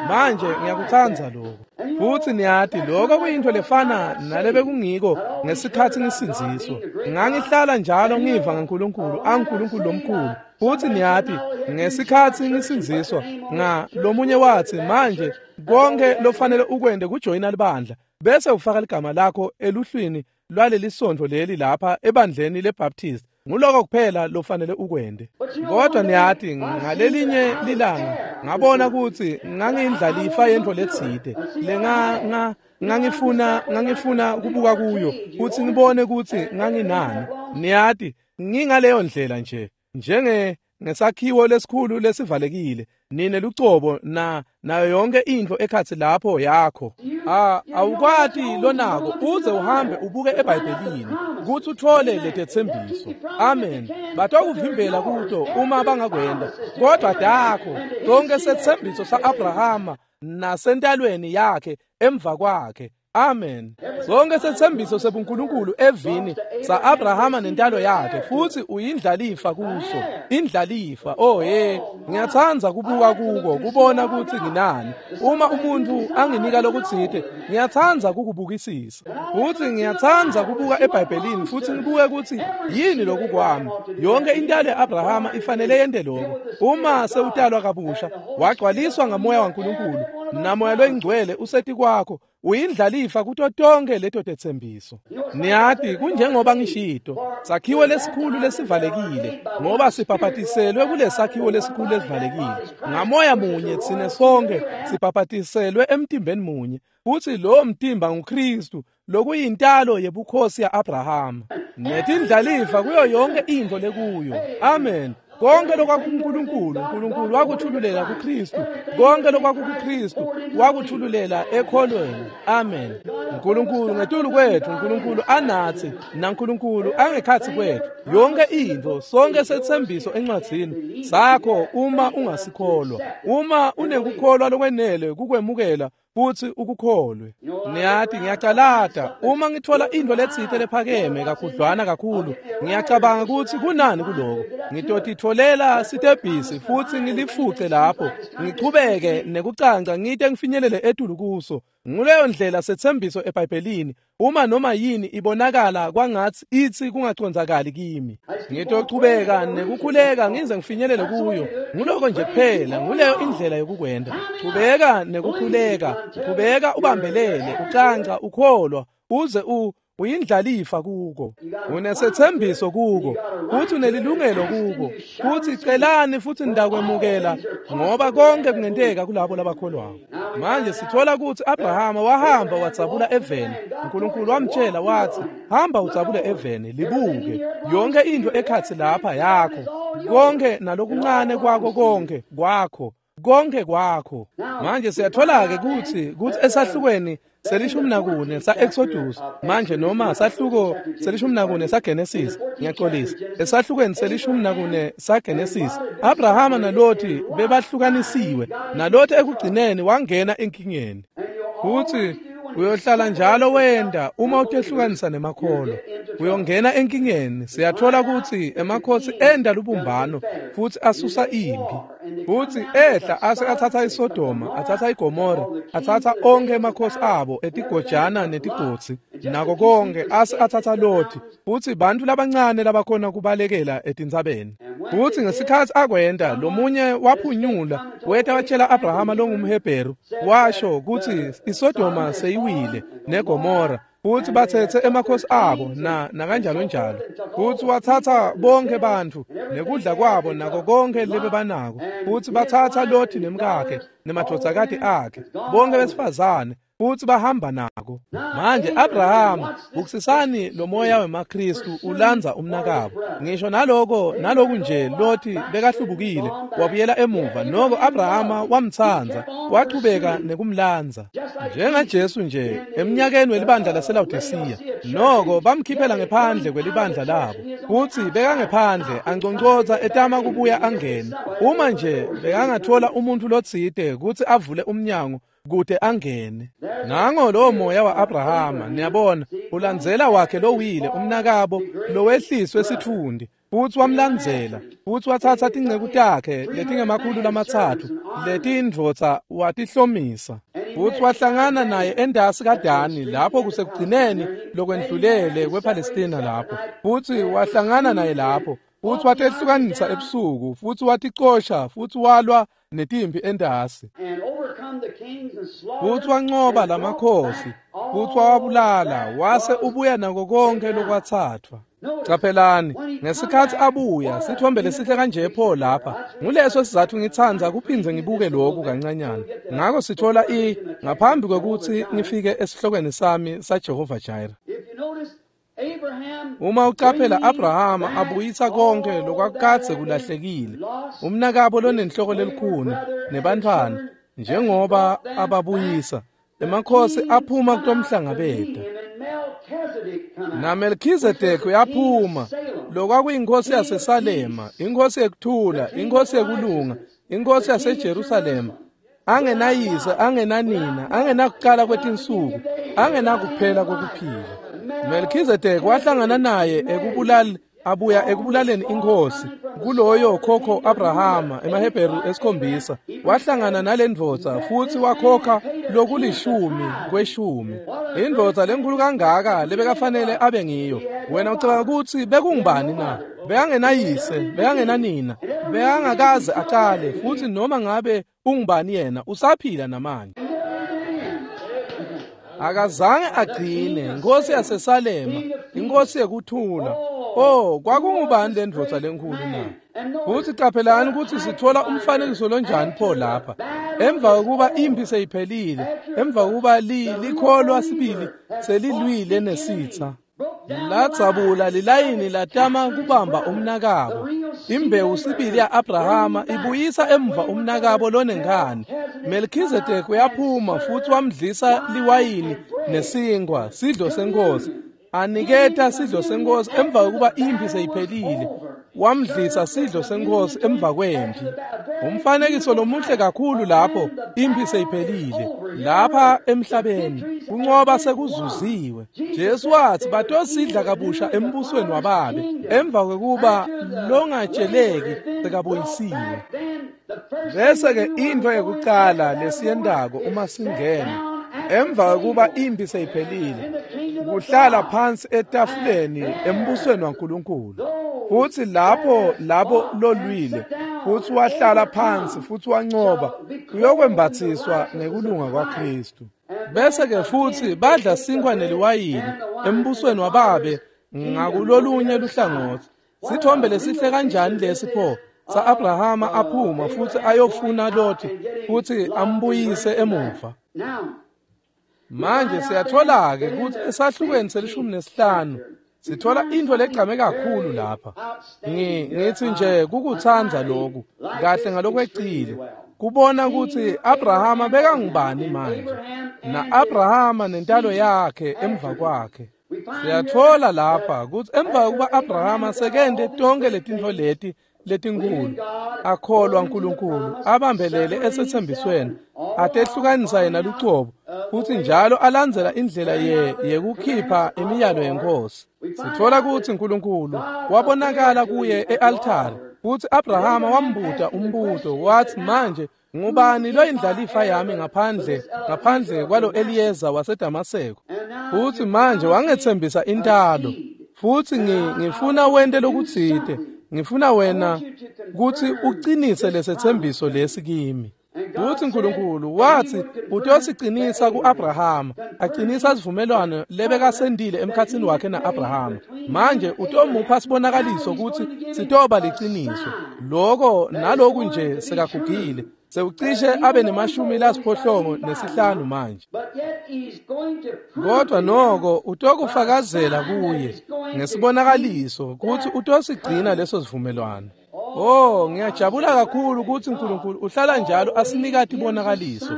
Manje ngiyakuthanda lokho. Futhi niyathi lokho kuyinto lefana nalebekungiko ngesikhathi ngisindziswa. Ngangihlala njalo ngiva ngaNkulunkulu, aNkulunkulu lomkhulu. Futhi niyathi ngesikhathi ngisindziswa nga lomunye wathi, manje konke lofanele ukwende kujoyina libandla bese ufaka ligama lakho eluhlwini lwaleli sonto leli lapha ebandleni leBaptist. Nguloko kuphela lofanele ukwende. Kodwa niyathi ngalelinye lilanga ngabona ukuthi ngangiyindlalifa yento letsite lenga nga ngangifuna ngangifuna kubuka kuyo ukuthi ngibone ukuthi nganginani. Niyathi ngingaleyo ndlela nje, njenge ngesakhiwo lesikhulu lesivalekile, nine lucobo na nayo yonke into ekhathi lapho yakho. Ah, awukwati lonako uze uhambe ubuke eBhayibhelini ukuthi uthole letethembiso. Amen. Batokuvimbela kuto uma bangakwenda, kodwa dakho konke sethembiso saAbrahama nasentalweni yakhe emva kwakhe. Amen. Zonke sethembiso sebuNkulunkulu evini saAbrahama nentalo yakhe, futhi uyindlalifa kuso. Indlalifa. Oh hey, ngiyathanda kubuka kuko, kubona ukuthi nginani. Uma umuntu anginika lokuthide, ngiyathanda kukubukisisa. Futhi ngiyathanda kubuka eBhayibhelini futhi ngibuke ukuthi yini lokhu kwami. Yonke intalo yaAbrahama ifanele yente lokho. Uma sewutalwa kabusha, wagcwaliswa ngamoya waNkulunkulu, namoya loyingcwele useti kwakho, uyindlalifa kuto tonke leto tethembiso. Niyathi kunjengoba ngishito, sakhiwo lesikhulu lesivalekile, ngoba sibhabhatiselwe kulesakhiwo lesikhulu lesivalekile. Ngamoya munye thina sonke sibhabhatiselwe emtimbeni munye, futhi lo mtimba nguKristu, lokuyintalo yebukhosi yaAbrahama. Netindlalifa kuyo yonke into lekuyo. Amen. Konke lokwakuNkulunkulu, uNkulunkulu wakuthululela kuKristu. Konke lokwakuKristu wakuthululela ekholweni. Amen. uNkulunkulu ngetulu kwethu, uNkulunkulu anathi, naNkulunkulu angekhathi kwethu. Yonke into, sonke sethembiso encwadzini sakho uma ungasikholwa. Uma unekukholwa lokwenele kukwemukela futhi ukukholwe. Niyathi ngiyacalata uma ngithola into letsite lephakeme kakhudlwana kakhulu, ngiyacabanga ukuthi kunani kuloko. Ngitotitholela sitebhisi futhi ngilifuce lapho, ngichubeke nekucanca ngite ngifinyelele etulu kuso. Nguleyo ndlela sethembiso eBhayibhelini. Uma noma yini ibonakala kwangathi ithi kungacondzakali kimi, ngitochubeka nekukhuleka ngize ngifinyelele kuyo. Nguloko nje kuphela, nguleyo indlela yokukwenda. Chubeka nekukhuleka, chubeka ubambelele, ucanca, ukholwa, uze u uyindlalifa kuko. Unesethembiso kuko, futhi unelilungelo kuko. Futhi celani futhi ndakwemukela, ngoba konke kungenteka kulabo labakholwayo. Manje sithola ukuthi Abrahama wahamba wadzabula eveni. uNkulunkulu wamtshela wathi, hamba udzabule eveni, libuke yonke into ekhathi lapha yakho, konke nalokuncane kwakho, konke kwakho, konke kwakho. Manje siyathola ke ukuthi kuthi esahlukweni selishumi nakune sa-Exodus, manje noma sahluko selishumi nakune saGenesis, ngiyaxolisa, esahlukweni selishumi nakune saGenesis, Abrahama naLothi bebahlukanisiwe, naLothi ekugcineni wangena enkingeni. Futhi uyohlala njalo wenda uma utehlukanisa nemakholwa, uyongena enkingeni. Siyathola ukuthi emakhosi enda lubumbano futhi asusa impi, futhi ehla ase athatha iSodoma, athatha iGomora, athatha onke emakhosi abo etigojana netigotsi nako konke, ase athatha Loti, futhi bantu labancane labakhona kubalekela etintsabeni. Futsi ngesikhatsi akwenta, lomunye waphunyula weta watshela Abrahama longumHebheru, washo kutsi iSodoma seyiwile neGomora, futsi batsetse emakhosi abo na nakanjalo njalo. Futsi watsatsa bonkhe bantfu nekudla kwabo nako konkhe lebebanako, futsi batsatsa Loti nemkakhe nemadvodzakati akhe, bonkhe besifazane, futsi bahamba nako. Manje Abrahama, bukisisani lo moya wemaKristu ulandza umnakabo. Ngisho naloko naloku nje Loti bekahlubukile wabuyela emuva, noko Abrahama wamtsandza, wachubeka nekumlandza. NjengaJesu nje eminyakeni welibandla laseLawodisiya, noko bamkhiphela ngephandle kwelibandla labo, futsi bekangephandle anconcotsa etama kubuya angene. Uma nje bekangathola umuntfu lotsite kutsi avule umnyango kute angene. Nango lowo moya wa-Abrahama, niyabona, ulandzela wakhe lowile umnakabo lowehliswe sitfundi, futsi wamlandzela, futsi watsatsa tinceku takhe letingemakhulu lamatsatfu letindvodza watihlomisa, futsi wahlangana naye endasi kaDani lapho kusekugcineni lokwendlulele kwePalestina lapho, futsi wahlangana naye lapho, futsi watehlukanisa ebusuku, futsi waticosha, futsi walwa netimphi endasi, futsi wancoba lamakhosi, futsi wawabulala, wase ubuya nako konke lokwatsathwa. Caphelani, ngesikhatsi abuya, sithombe lesihle kanje pho lapha. Nguleso sizatfu ngitsandza kuphindze ngibuke lokhu kancanyana. Ngako sithola i ngaphambi kwekutsi ngifike esihlokweni sami saJehova Jireh. Uma ucaphela Abrahama abuyisa konke lokwakadze kulahlekile, umnakabo lonenhloko lelikhuni nebantfwana, njengoba ababuyisa, emakhosi aphuma kutomhlangabeta. Na Melchizedek uyaphuma, lokwakuyinkosi yaseSalema, inkosi yekuthula, inkosi yekulunga, inkosi yaseJerusalema, angenayise, angenanina, angenakuqala kwetinsuku, angenakuphela kokuphila. Melchizedek wahlangana naye ekubulali abuya ekubulaleni inkosi kuloyo khokho Abrahama emaHebheru esikhombisa. Wahlangana nalendvodza futsi wakhokha lokulishumi kweshumi. Indvodza lenkulu kangaka lebekafanele abe ngiyo. Wena ucabanga kutsi bekungubani na? Bekangenayise, bekangenanina, bekangakaze acale, futsi noma ngabe ungubani yena usaphila namanje. Akazange agcine, inkosi yaseSalema, inkosi yekuthula. Oh, kwakungubani lendvodza lenkulu na? Futsi caphelani kutsi sithola umfanekiso lonjani pho lapha. Emva kokuba impi seyiphelile, emva kokuba likholwa sibili selilwile nesitha, ladzabula lilayini latama kubamba umnakabo. Imbewu sibili ya-Abrahama ibuyisa emva umnakabo lonenkhani. Melchizedek uyaphuma futsi wamdlisa liwayini nesinkwa, sidlo senkosi. Aniketa sidlo senkosi emva kokuba impi seyiphelile. Wamdlisa sidlo senkosi emva kwempi. Umfanekiso lomuhle kakhulu lapho impi seyiphelile. Lapha emhlabeni kuncoba sekuzuziwe. Jesu watsi batosidla kabusha embusweni wababe emva kokuba longatsheleki sekabuyisiwe. Bese ke into yekucala lesiyentako uma singena emva kokuba impi seyiphelile, kuhlala phansi etafuleni embusweni waNkulunkulu. Futsi lapho labo lolwile futsi wahlala phansi futsi wancoba, uyokwembathiswa ngekulunga kwaKristu. Bese ke futsi badla sinkwa neliwayini embusweni wababe ngakulolunye luhlangotsi. Sithombe lesihle kanjani lesi pho sa-Abrahama aphuma futsi ayofuna Loti futsi ambuyise emuva. Manje siyathola-ke kutsi esahlukweni selishumi nesihlanu sithola intfo legcame kakhulu lapha. Ngithi nje kukutsandza lokhu kahle ngalokwecile, kubona kutsi Abrahama bekangubani manje, na-Abrahama nentalo yakhe emva kwakhe. Siyathola lapha kutsi emva kokuba Abrahama sekente tonke letintfo leti letinkhulu, akholwa uNkulunkulu, abambelele esethembisweni, atehlukanisa yena lucobo, futsi njalo alandzela indlela ye yekukhipha imiyalo yenkosi. Sithola kutsi uNkulunkulu wabonakala kuye e-altare, futsi Abrahama wambuta umbuto watsi, manje ngubani loyindlalifa yami ngaphandle ngaphandle kwalo Eliyeza waseDamaseko? Futsi manje wangetsembisa intalo, futsi ngifuna wente lokutsite. Ngifuna wena kutsi ucinise lesethembiso lesi kimi. Uthi uNkulunkulu wathi utosicinisa kuAbrahama, aqinisa sivumelwano lebekasendile emkhatsini wakhe naAbrahama. Manje utomupha sibonakaliso ukuthi sitoba liqiniso. Lokho naloku nje sekagugile, sewucishe abe nemashumi lasiphohlongo nesihlanu manje. Kodwa noko utokufakazela kuye ngesibonakaliso ukuthi utosigcina leso sivumelwano. Oh, ngiyajabula kakhulu ukuthi uNkulunkulu uhlala njalo asinika tibonakaliso,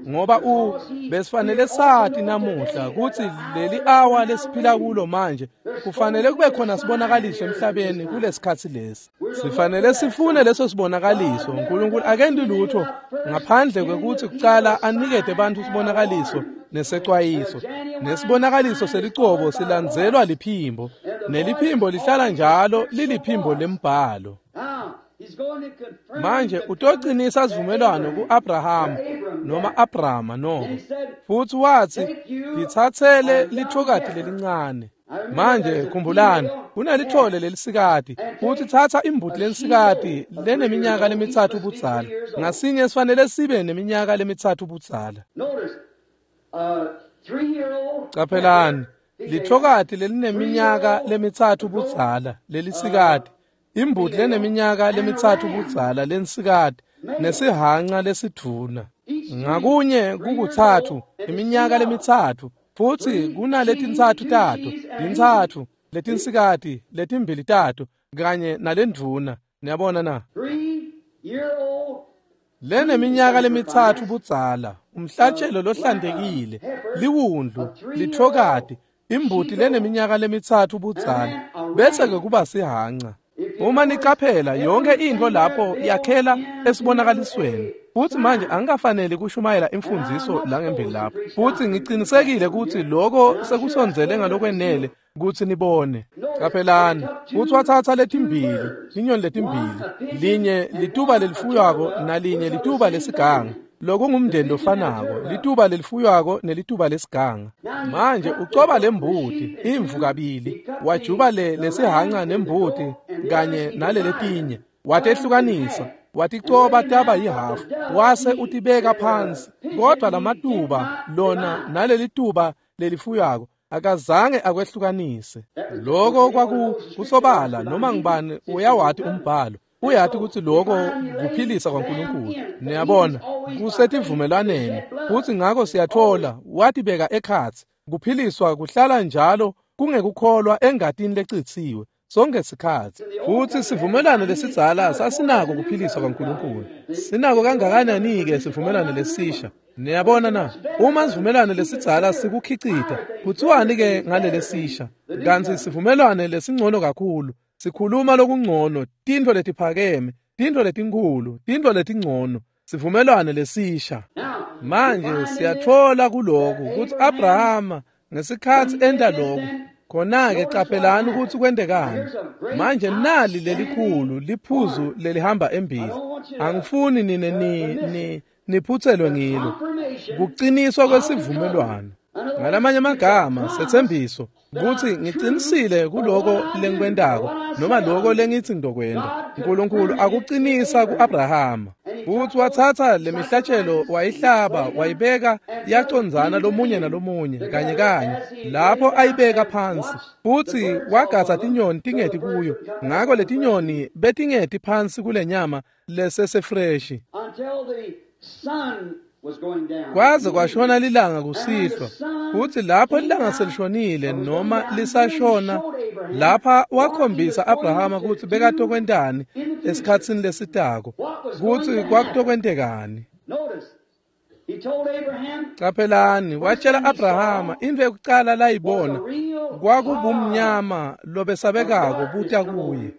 ngoba u besifanele sathi namuhla ukuthi leli hour lesiphila kulo manje kufanele kube khona sibonakaliso emhlabeni kulesikhathi lesi. Sifanele sifune leso sibonakaliso. uNkulunkulu akendi lutho ngaphandle kwekuthi kucala anikete abantu sibonakaliso nesecwayiso. Nesibonakaliso selicobo silandzelwa liphimbo, neliphimbo lihlala njalo liliphimbo lembhalo. Manje utoqinisa sivumelwano kuAbraham noma Abrahama noko, futhi wathi lithathele lithokati lelincane. Manje khumbulani, kunelithole lelisikati, futhi thatha imbuti lelisikati leneminyaka lemithathu budzala. Ngasinye sifanele sibe neminyaka lemithathu budzala. Caphelani, lithokati lelineminyaka lemithathu budzala lelisikati, imbuti leneminyaka lemithathu budzala lensikati, nesihanca lesidvuna. Ngakunye kukuthathu iminyaka lemithathu, futhi kunaletintsatfu tato, tintsatfu letinsikati letimbili tato kanye nalendvuna. Niyabona na? Leneminyaka lemithathu budzala, umhlatshelo lohlantekile, liwundlu, lithokati, imbuti leneminyaka lemithathu budzala, bese ke kuba sihanca. Uma nicaphela yonke into lapho yakhela esibonakalisweni. Futhi manje angikafanele kushumayela imfundiso la ngembili lapho. Futhi ngicinisekile ukuthi lokho sekusondzele ngalokwenele ukuthi nibone. Caphelani, futhi wathatha letimbili, inyoni letimbili, linye lituba lelifuywako nalinye lituba lesiganga. Lokungumndeni lofanako, lituba lelifuywako nelituba lesiganga. Manje ucoba lembuti imvu kabili, wajuba le lesihanca nembuti kanye naleletinye, watehlukanisa, waticoba taba yihafu, wase utibeka phansi. Kodwa lamatuba lona nalelituba lelifuywako akazange akwehlukanise. Lokho kwakusobala, noma ngibani uyawati umbhalo, uyati ukuthi lokho kuphilisa kwaNkulunkulu. Niyabona, kusetivumelwaneni. Futhi ngakho siyathola watibeka ekhatsi. Kuphiliswa kuhlala njalo kungekukholwa engatini lecitsiwe sonke sikhathi. Futhi sivumelwano lesidzala sasinako kuphiliswa kwaNkulunkulu. Sinako kangakanani-ke sivumelwano lesisha? Niyabona na? Uma sivumelwano lesidzala sikukhicita, kuthiwani-ke ngalelesisha? Kanti sivumelwano lesingcono kakhulu, sikhuluma lokungcono, tintfo letiphakeme, tintfo letinkhulu, tintfo letingcono, sivumelwano lesisha. Manje siyathola kuloku ukuthi Abrahama ngesikhathi enta lokhu, khona-ke caphelani ukuthi kwentekani. Manje nali lelikhulu liphuzu lelihamba embili. Angifuni nine ni ni niphutselwe ngilo. Kuqiniswa kwesivumelwano. Ngalamanye amagama, sethembiso ukuthi ngicinisile kuloko lengikwentako noma lokho lengithi ngizokwenta. uNkulunkulu akuqinisa kuAbrahama. Futhi wathatha lemihlatshelo wayihlaba wayibeka yacondzana lomunye nalomunye kanye kanye lapho ayibeka phansi. Futhi wagatha tinyoni tingeti kuyo, ngakho letinyoni betingeti phansi kulenyama lesesefreshi kwaze kwashona lilanga kusihlwa. Futhi lapho lilanga selishonile noma lisashona, lapha wakhombisa Abrahama ukuthi bekatokwentani esikhatsini lesitako, ukuthi kwakutokwentekani. Caphelani, watshela Abrahama into yokucala layibona kwakubumnyama lobesabekako buta kuye.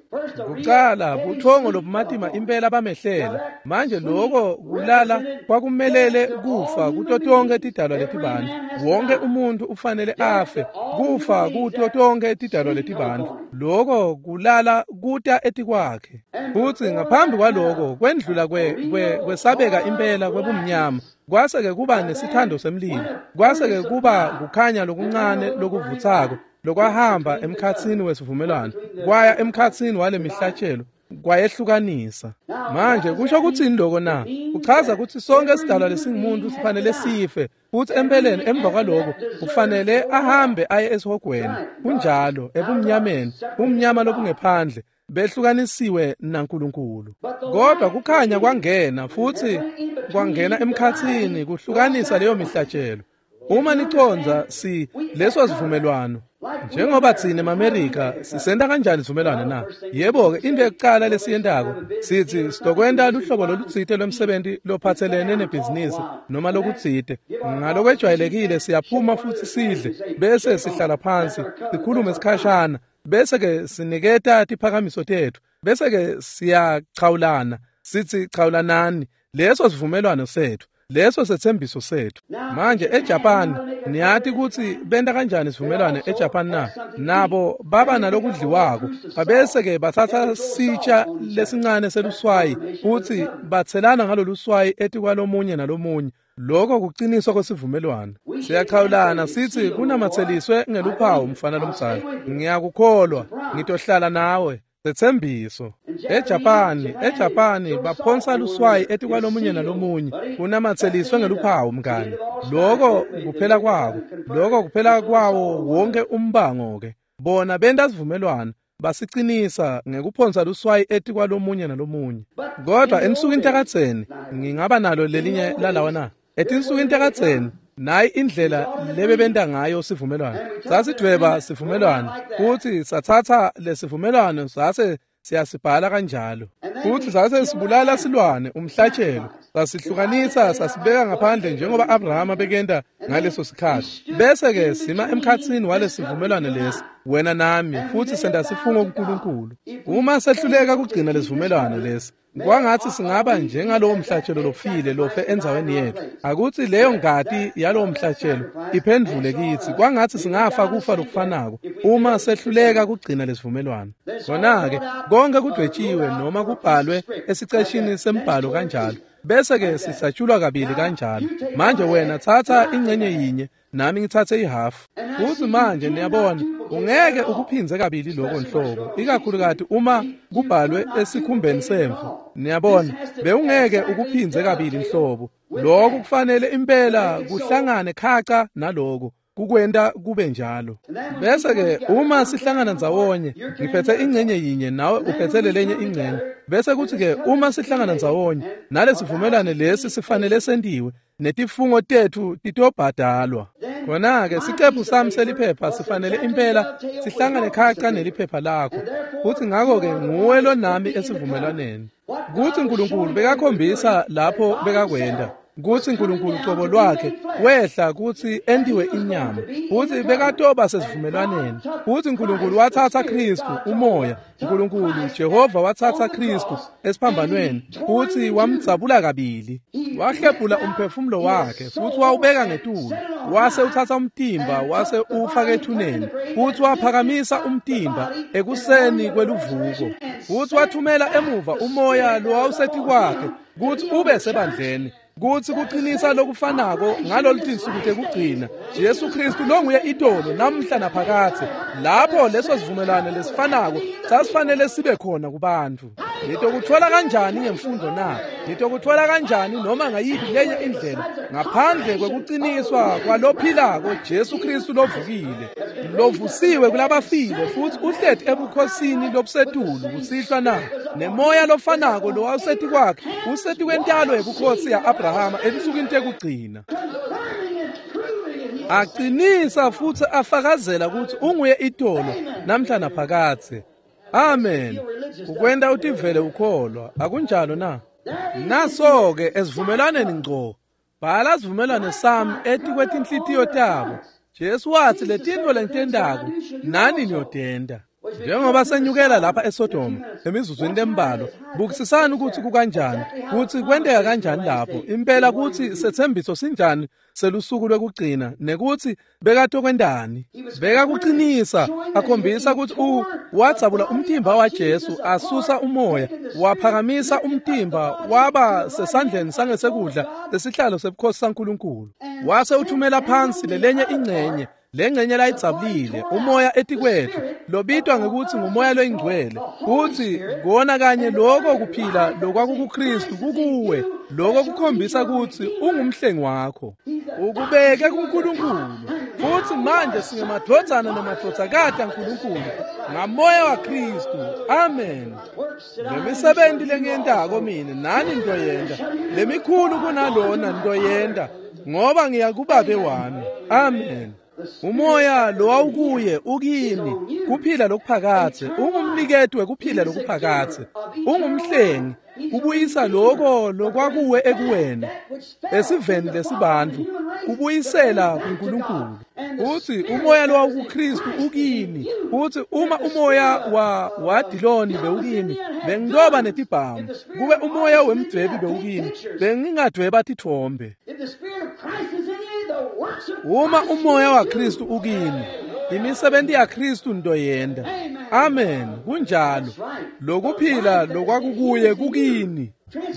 Kucala buthongo lobumatima impela bamehlela. Manje lokho kulala kwakumelele kufa kuto tonke tidalwa letibantu. Wonke umuntu ufanele afe, kufa kuto tonke tidalwa letibantu. Lokho kulala kuta etikwakhe. Futhi ngaphambi kwaloko kwendlula kwe kwesabeka impela kwebumnyama, kwase ke kuba nesithando semlilo, kwase ke kuba kukhanya lokuncane lokuvuthako, lokwahamba emkhatsini wesivumelwano kwaya emkhatsini wale mihlatshelo kwayehlukanisa. Manje kusho kutsini lokho na? Kuchaza ukuthi sonke isidalwa lesingumuntu sifanele sife, futhi empeleni emva kwaloko kufanele ahambe aye esihogweni. Kunjalo, ebumnyameni, umnyama lobungephandle, behlukanisiwe naNkulunkulu. Kodwa kukhanya kwangena futhi kwangena emkhatsini kuhlukanisa leyo mihlatshelo. Uma niconza si leso sivumelwano, njengoba thina emaMerika sisenta kanjani isivumelwano na? Yebo-ke, into yokuqala lesiyentako sithi sitokwenta luhlobo lolutsite lwemsebenti lophatselene nebhizinisi noma lokutsite. Ngalokwejwayelekile siyaphuma futhi sidle, bese sihlala phansi sikhulume sikhashana, bese-ke siniketa tiphakamiso tetfu, bese-ke siyachawulana sithi chawulanani. Leso sivumelwano sethu, leso sethembiso sethu. Manje eJapan niyati ukuthi benta kanjani isivumelwano eJapan na? Nabo baba nalokudliwako, babese-ke bathatha sitsha lesincane seluswayi futhi bathelana ngaloluswayi etikwalomunye nalomunye. Lokho kuqiniswa kwesivumelwano. Siyachawulana sithi kunamatheliswe ngeluphawu mfana lomdzala, ngiyakukholwa, ngitohlala nawe. Sethembiso. eJapani, eJapani baphonsa luswayi etikwalomunye nalomunye, kunamatheliswe ngeluphawu mngani. Lokho kuphela kwako, lokho kuphela kwawo wonke umbango ke. Bona benta sivumelwano, basiqinisa ngekuphonsa luswayi etikwalomunye nalomunye. Kodwa ensukwini takadzeni, ngingaba nalo lelinye lalawa na? Etinsukwini takadzeni, nayi indlela lebebenta ngayo sivumelwano. Sasidvweba sivumelwano futhi sathatha lesivumelwano sase siyasibhala kanjalo. Futhi sase sibulala silwane umhlatshelo, sasihlukanisa sasibeka ngaphandle njengoba Abrahama bekenta ngaleso sikhathi. Bese ke sima emkhatsini walesivumelwano lesi, wena nami, futhi senta sifungo kuNkulunkulu. Uma sehluleka kugcina lesivumelwano lesi, kwangathi singaba njengalowo mhlatshelo lofile lofe endzaweni yethu. Akuthi leyo ngati yalowo mhlatshelo iphendvule kithi. Kwangathi singafa kufa lokufanako uma sehluleka kugcina lesivumelwano. Khona-ke konke kudwetshiwe noma kubhalwe esiceshini sembhalo kanjalo, bese-ke sisatshulwa kabili kanjalo. Manje wena thatha ingcenye yinye, nami ngithathe ihafu. Futhi manje niyabona, ungeke ukuphindze kabili lokho nhlobo, ikakhulukati uma kubhalwe esikhumbeni semvu. Niyabona, bewungeke ukuphindze kabili nhlobo. Lokho kufanele impela kuhlangane khaca naloko, kukwenta kube njalo. Bese-ke uma sihlangana ndzawonye, ngiphethe ingcenye yinye nawe uphethe lenye ingcenye. Bese kuthi-ke uma sihlangana ndzawonye, nalesivumelwano lesi sifanele sentiwe, netifungo tetfu titobhadalwa. Khona-ke sicephu sami seliphepha sifanele impela sihlangane khaca neliphepha lakho, futhi ngakho-ke nguwe lo nami esivumelwaneni. Kuthi uNkulunkulu bekakhombisa lapho bekakwenda, kuthi uNkulunkulu cobo lwakhe wehla kuthi entiwe inyama, futhi bekatoba sesivumelwaneni. Futhi uNkulunkulu wathatha Kristu umoya, uNkulunkulu Jehova wathatha Kristu esiphambanweni futhi wamdzabula kabili, wahlephula umphefumulo wakhe futhi wawubeka ngetulu, wase uthatha umtimba wase uwufaka ethuneni, futhi waphakamisa umtimba ekuseni kweluvuko, futhi wathumela emuva umoya lowawusetikwakhe kuthi ube sebandleni, kuthi kuqinisa lokufanako ngalolu tinsuku tekugcina. Jesu Kristu longuye itolo namhla naphakathe. Lapho leso sivumelwano lesifanako sasifanele sibe khona kubantu. Nitokuthola kanjani ngemfundo na? Nitokuthola kanjani noma ngayiphi lenye indlela ngaphandle kwekuqiniswa kwalophilako Jesu Kristu lovukile, lovusiwe kulabafile futhi uhleti ebukhosini lobusetulu kusihlwa na? Nemoya lofanako lowawuseti kwakhe useti kwentalo yebukhosi ya-Abrahama ensukwini tekugcina, aqinisa futhi afakazela ukuthi unguye itolo namhla naphakathe. Amen. Ukwenta utivele ukholwa, akunjalo na? Naso-ke esivumelwaneni ngco, bhala sivumelwano sami etikwetinhlitiyo tabo. Jesu wathi letintfo lengitentako nani niyotenta. Njengoba senyukela lapha eSodoma emizuzwini lembalwa, bukisisani ukuthi kukanjani, ukuthi kwenteka kanjani lapho impela, kuthi sethembiso sinjani selusuku lwekugcina, nekuthi bekatokwentani. Bekakuqinisa, akhombisa ukuthi u wadzabula umtimba waJesu, asusa umoya, waphakamisa umtimba waba sesandleni sangesekudla sesihlalo sebukhosi saNkulunkulu, wase uthumela phansi lelenye ingcenye Lengcenye layidzabulile umoya etikwethu lobitwa ngekutsi ngumoya loyingcwele kutsi kona kanye lokho kuphila lokwakukuKristu kukuwe lokho kukhombisa kutsi ungumhlengi wakho ukubeke kuNkulunkulu futhi manje singemadvodzana nemadvodzakati aNkulunkulu ngamoya waKristu. Amen. Lemisebenti lengiyentako mina nani ntoyenta lemikhulu kunalona ntoyenta ngoba ngiya kubabe wami. Amen. Umoya lowawukuye ukini kuphila lokuphakathe ungumniketi wekuphila lokuphakathe ungumhlengi kubuyisa lokho lokwakuwe ekuwena esiveni lesibantfu kubuyisela kuNkulunkulu. Uthi umoya lowawukuKristu ukini uthi uma umoya wa wadiloni bewukimi bengiloba netibhamu kube umoya wemdwebi bewukimi bengingadweba tithombe. Uma umoya waKristu ukini imisebenzi yaKristu ntoyenda. Amen. Kunjalo lokuphila lokwakukuye kukini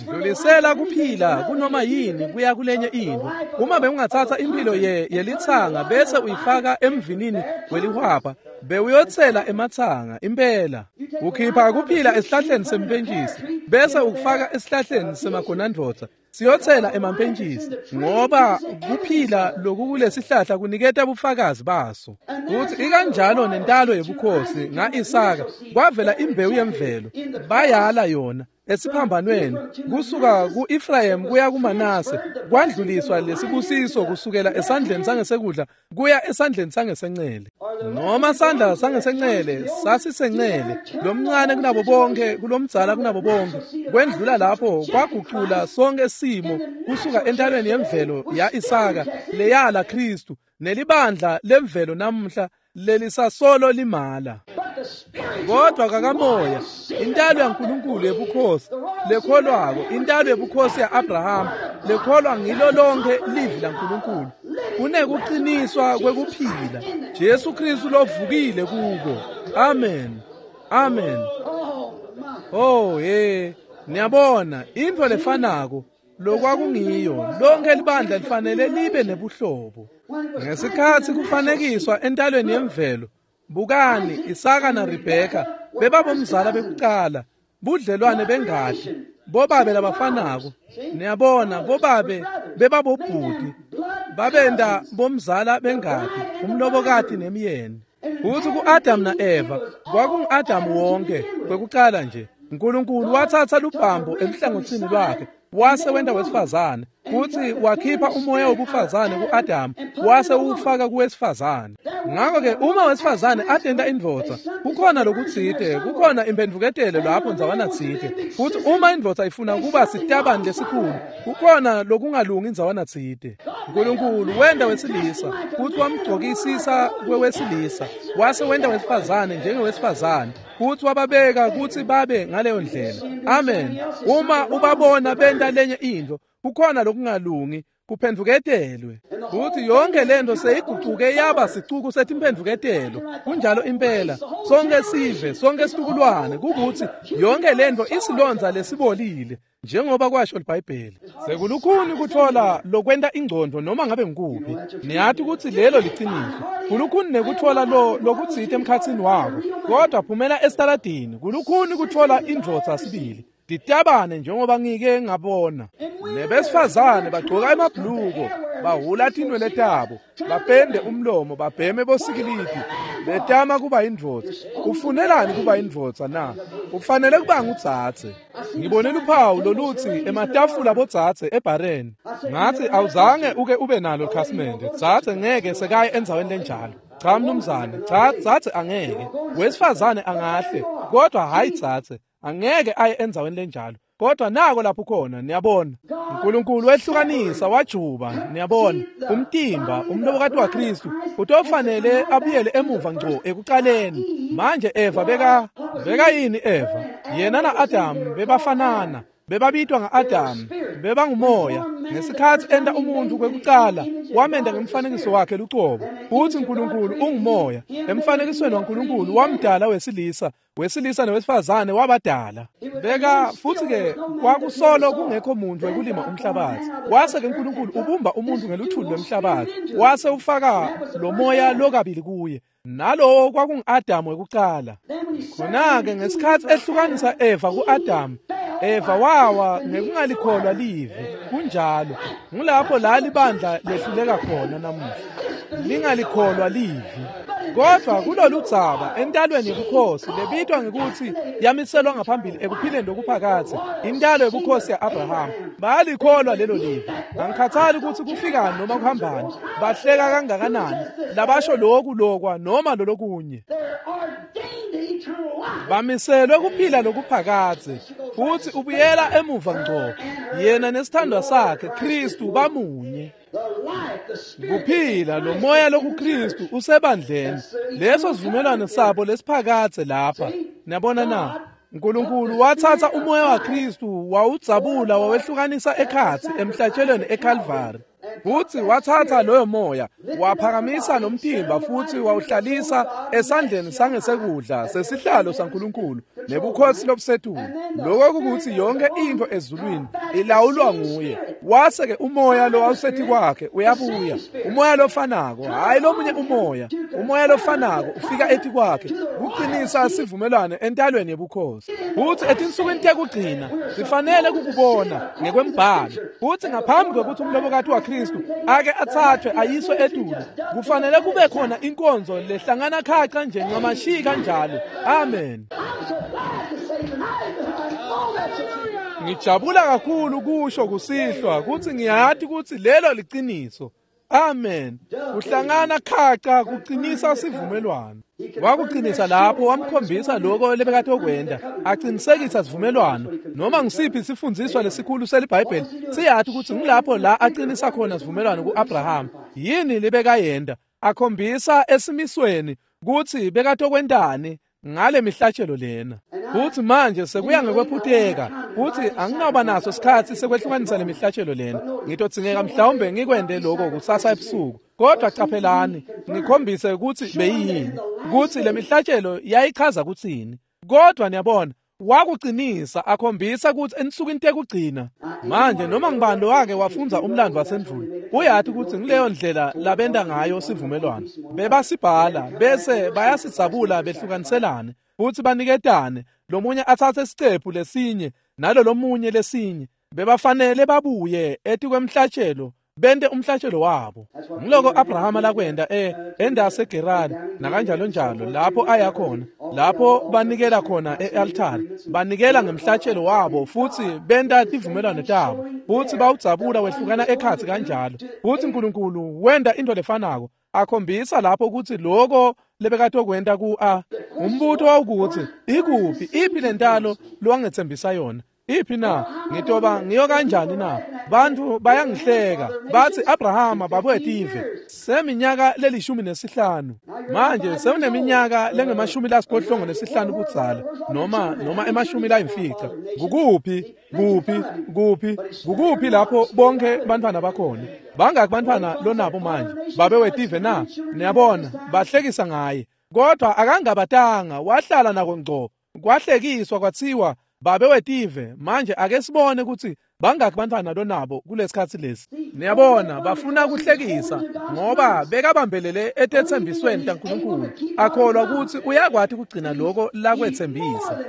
dlulisela kuphila kunoma yini kuya kulenye into. Uma bewungathatha impilo ye yelithanga bese uyifaka emvinini welihwabha bewuyotsela emathanga impela. Ukhipha kuphila esihlahleni sempentshisi bese ukufaka esihlahleni semagonandvodza siyotsela emampentshisi ngoba kuphila lokukulesihlahla kuniketa bufakazi baso. Kuthi ikanjalo nentalo yebukhosi nga-Isaka kwavela imbewu yemvelo bayala yona esiphambanweni kusuka ku-Ephraim kuya kuManase kwandluliswa lesibusiso kusukela esandleni sangesekudla kuya esandleni sangesencele. Noma sandla sangesencele sasisencele lomncane kunabo bonke kulomdzala kunabo bonke kwendlula lapho kwagucula sonke simo kusuka entalweni yemvelo ya-Isaka leyala Kristu nelibandla lemvelo namuhla lelisasolo limala. Kodwa kakamoya intalo yaNkulunkulu yebukhosi lekholwako intalo yebukhosi ya-Abraham lekholwa ngilo lonke livi laNkulunkulu kunekuqiniswa kwekuphila Jesu Kristu lovukile kuko. Amen. Amen. Oh hey, niyabona intfo lefanako lokwakungiyo lonke libandla lifanele libe nebuhlobo. Ngesikhatsi kufanekiswa entalweni yemvelo bukani Isaka na Rebeka bebabomzala bekuqala budlelwane bengati bobabe labafanako. Niyabona bobabe bebabobhuti babenda bomzala bengati umlobokati nemyeni. Uthi ku-Adam na-Eva kwakungu-Adam wonke kwekuqala nje uNkulunkulu wathatha lubhambo eluhlangothini lwakhe wase wenta wesifazane kuthi wakhipha umoya wobufazane ku-Adam wase uwufaka kuwesifazane. Ngakho-ke uma wesifazane atenta indvodza kukhona lokutsite kukhona imphendvuketelo lapho ndzawana tsite futhi uma indvodza ifuna kuba sitabani lesikhulu kukhona lokungalungi ndzawana tsite. uNkulunkulu wenta wesilisa futhi wamgcokisisa kwewesilisa wase wenta wesifazane njengewesifazane futhi wababeka kutsi babe ngaleyo ndlela. Amen. Uma ubabona benta lenye intfo kukhona lokungalungi kuphendvuketelwe futhi yonke lento seyigucuke yaba sicuku setimphendvuketelo. Kunjalo impela sonke sive sonke situkulwane kukuthi yonke lento isilonza lesibolile njengoba kwasho iBhayibheli. Sekulukhuni kuthola lokwenta ingcondo noma ngabe ngikuphi. Niyathi ukuthi lelo liciniso. Kulukhuni nekuthola lo lokutsite emkhatsini wako kodwa phumela esitaladini kulukhuni kuthola indvodza sibili. Ditabane njengoba ngike ngabona nebesifazane bagcoka emabhluko bahula tinwele tabo bapende umlomo babheme bosikilidi betama kuba indvodza. Ufunelani kuba indvodza na? Ufanele kuba ngudzadze. Ngibone luphawu lolutsi ematafula bodzadze ebhareni. Ngathi awuzange uke ube nalo khasimende dzadze ngeke sekaye endzaweni lenjalo. Cha mnumzane, cha dzadze angeke. Wesifazane angahle kodwa hayi dzadze angeke aye endzaweni lenjalo. Kodwa nako lapho khona niyabona uNkulunkulu wehlukanisa wajuba niyabona umtimba umlobokati waKristu utofanele abuyele emuva ngco ekuqaleni. Manje Eva beka beka yini Eva? Yena na Adam bebafanana. Bebabitwa nga-Adamu, bebangumoya. Ngesikhatsi enta umuntfu kwekucala, wamenta ngemfanekiso wakhe lucobo. Futsi Nkulunkulu ungumoya. Emfanekisweni waNkulunkulu wamdala wesilisa, wesilisa nowesifazane wabadala. Beka futsi-ke kwakusolo kungekho muntu wekulima umhlabathi. Wase-ke Nkulunkulu ubumba umuntu ngeluthuli lwemhlabathi, wase ufaka lo moya lokabili kuye. Nalowo kwakungu-Adamu wekucala. Khona-ke ngesikhatsi ehlukanisa Eva ku-Adamu, Eva wawa ngekungalikholwa livi. Kunjalo. Ngulapho la libandla lehluleka khona namuhla. Lingalikholwa livi. Kodwa kulolu dzaba entalweni yebukhosi lebitwa ngekutsi yamiselwa ngaphambili ekuphileni lokuphakadze, intalo yebukhosi ya-Abrahama, bayalikholwa lelo livi. Angikhathali kutsi kufikani noma kuhambani, bahleka kangakanani, labasho loku lokwa noma lolokunye. Bamiselwe kuphila lokuphakadze, futsi ubuyela emuva ngco. Yena nesithandwa sakhe Kristu bamunye. Kuphila lo moya lokuKristu usebandleni. Leso sivumelwano sabo lesiphakadze lapha. Niyabona na? Nkulunkulu watsatsa umoya waKristu wawudzabula wawehlukanisa ekhatsi emhlatshelweni eKalvari. Futsi watsatsa loyo moya waphakamisa nomtimba futsi wawuhlalisa esandleni sangesekudla sesihlalo saNkulunkulu nebukhosi lobusetulu. Lokho kukutsi yonke intfo ezulwini ilawulwa nguye. Wase-ke umoya lowawusethi kwakhe uyabuya, umoya lofanako, hhayi lomunye umoya, umoya lofanako ufika etikwakhe kuqinisa sivumelwano entalweni yebukhosi. Futsi etinsukwini tekugcina sifanele kukubona ngekwembhalo. Futsi ngaphambi kwekutsi umlobokati waKristu ake athathwe ayiswe etulu, kufanele kube khona inkonzo lehlangana khaca nje ncamashi kanjalo. Amen. Ngijabula kakhulu kusho kusihlwa kutsi ngiyati kutsi lelo liciniso. Amen. Kuhlangana khaca kuqinisa sivumelwano. Wakuqinisa lapho wamkhombisa lokho lebekatokwenta, aqinisekisa sivumelwano. Noma ngisiphi isifundziswa lesikhulu seliBhayibheli siyati kutsi ngilapho la aqinisa khona sivumelwano ku-Abraham. Yini lebekayenta? Akhombisa esimisweni kutsi bekatokwentani ngale mihlatshelo lena. Futsi manje sekuya ngekwephuteka kutsi anginawuba naso sikhatsi sekwehlukanisa le mihlatshelo lena. Ngitodzingeka mhlawumbe ngikwente lokho kusasa ebusuku. Kodwa caphelani, ngikhombise kutsi beyiyini, kutsi le mihlatshelo yayichaza kutsini. Kodwa niyabona, wakuqinisa akhombisa kutsi ensukwini tekugcina. Manje noma ngibani lowake wafundza umlando wasendvulo uyati kutsi ngileyo ndlela labenta ngayo sivumelwano. Bebasibhala bese bayasidzabula behlukaniselane futsi baniketane, lomunye atsatse sicephu lesinye nalolomunye lesinye. Bebafanele babuye etikwemhlatshelo bente umhlatshelo wabo. Ngiloko Abrahama lakwenta e endaseGerari nakanjalo njalo, lapho aya khona, lapho banikela khona e-altari, banikela ngemhlatshelo wabo futsi benta tivumelwano tabo, futsi bawudzabula wehlukana ekhatsi kanjalo. Futsi Nkulunkulu wenta into lefanako, akhombisa lapho kutsi loko lebekatokwenta ku a umbuto wawukutsi ikuphi iphi lentalo lowangetsembisa yona? Iphi na? Ngitoba ngiyo kanjani na? Bantfu bayangihleka bathi Abrahama babuyetive seminyaka lelishumi nesihlanu. Manje sewuneminyaka lengemashumi lasiphohlongo nesihlanu kudzala, noma noma emashumi layimfica. Kukuphi kuphi kuphi kukuphi lapho bonke bantfwana bakhona? Bangaki bantfwana lonabo manje babe wetive na? Niyabona, bahlekisa ngaye, kodwa akangabatanga, wahlala nako ngco. Kwahlekiswa kwatsiwa babe wetive. Manje ake sibone kutsi bangaki bantfwana lonabo kulesikhatsi lesi. Niyabona, bafuna kuhlekisa ngoba bekabambelele etetsembisweni taNkulunkulu, akholwa kutsi uyakwati kugcina lokho lakwetsembisa.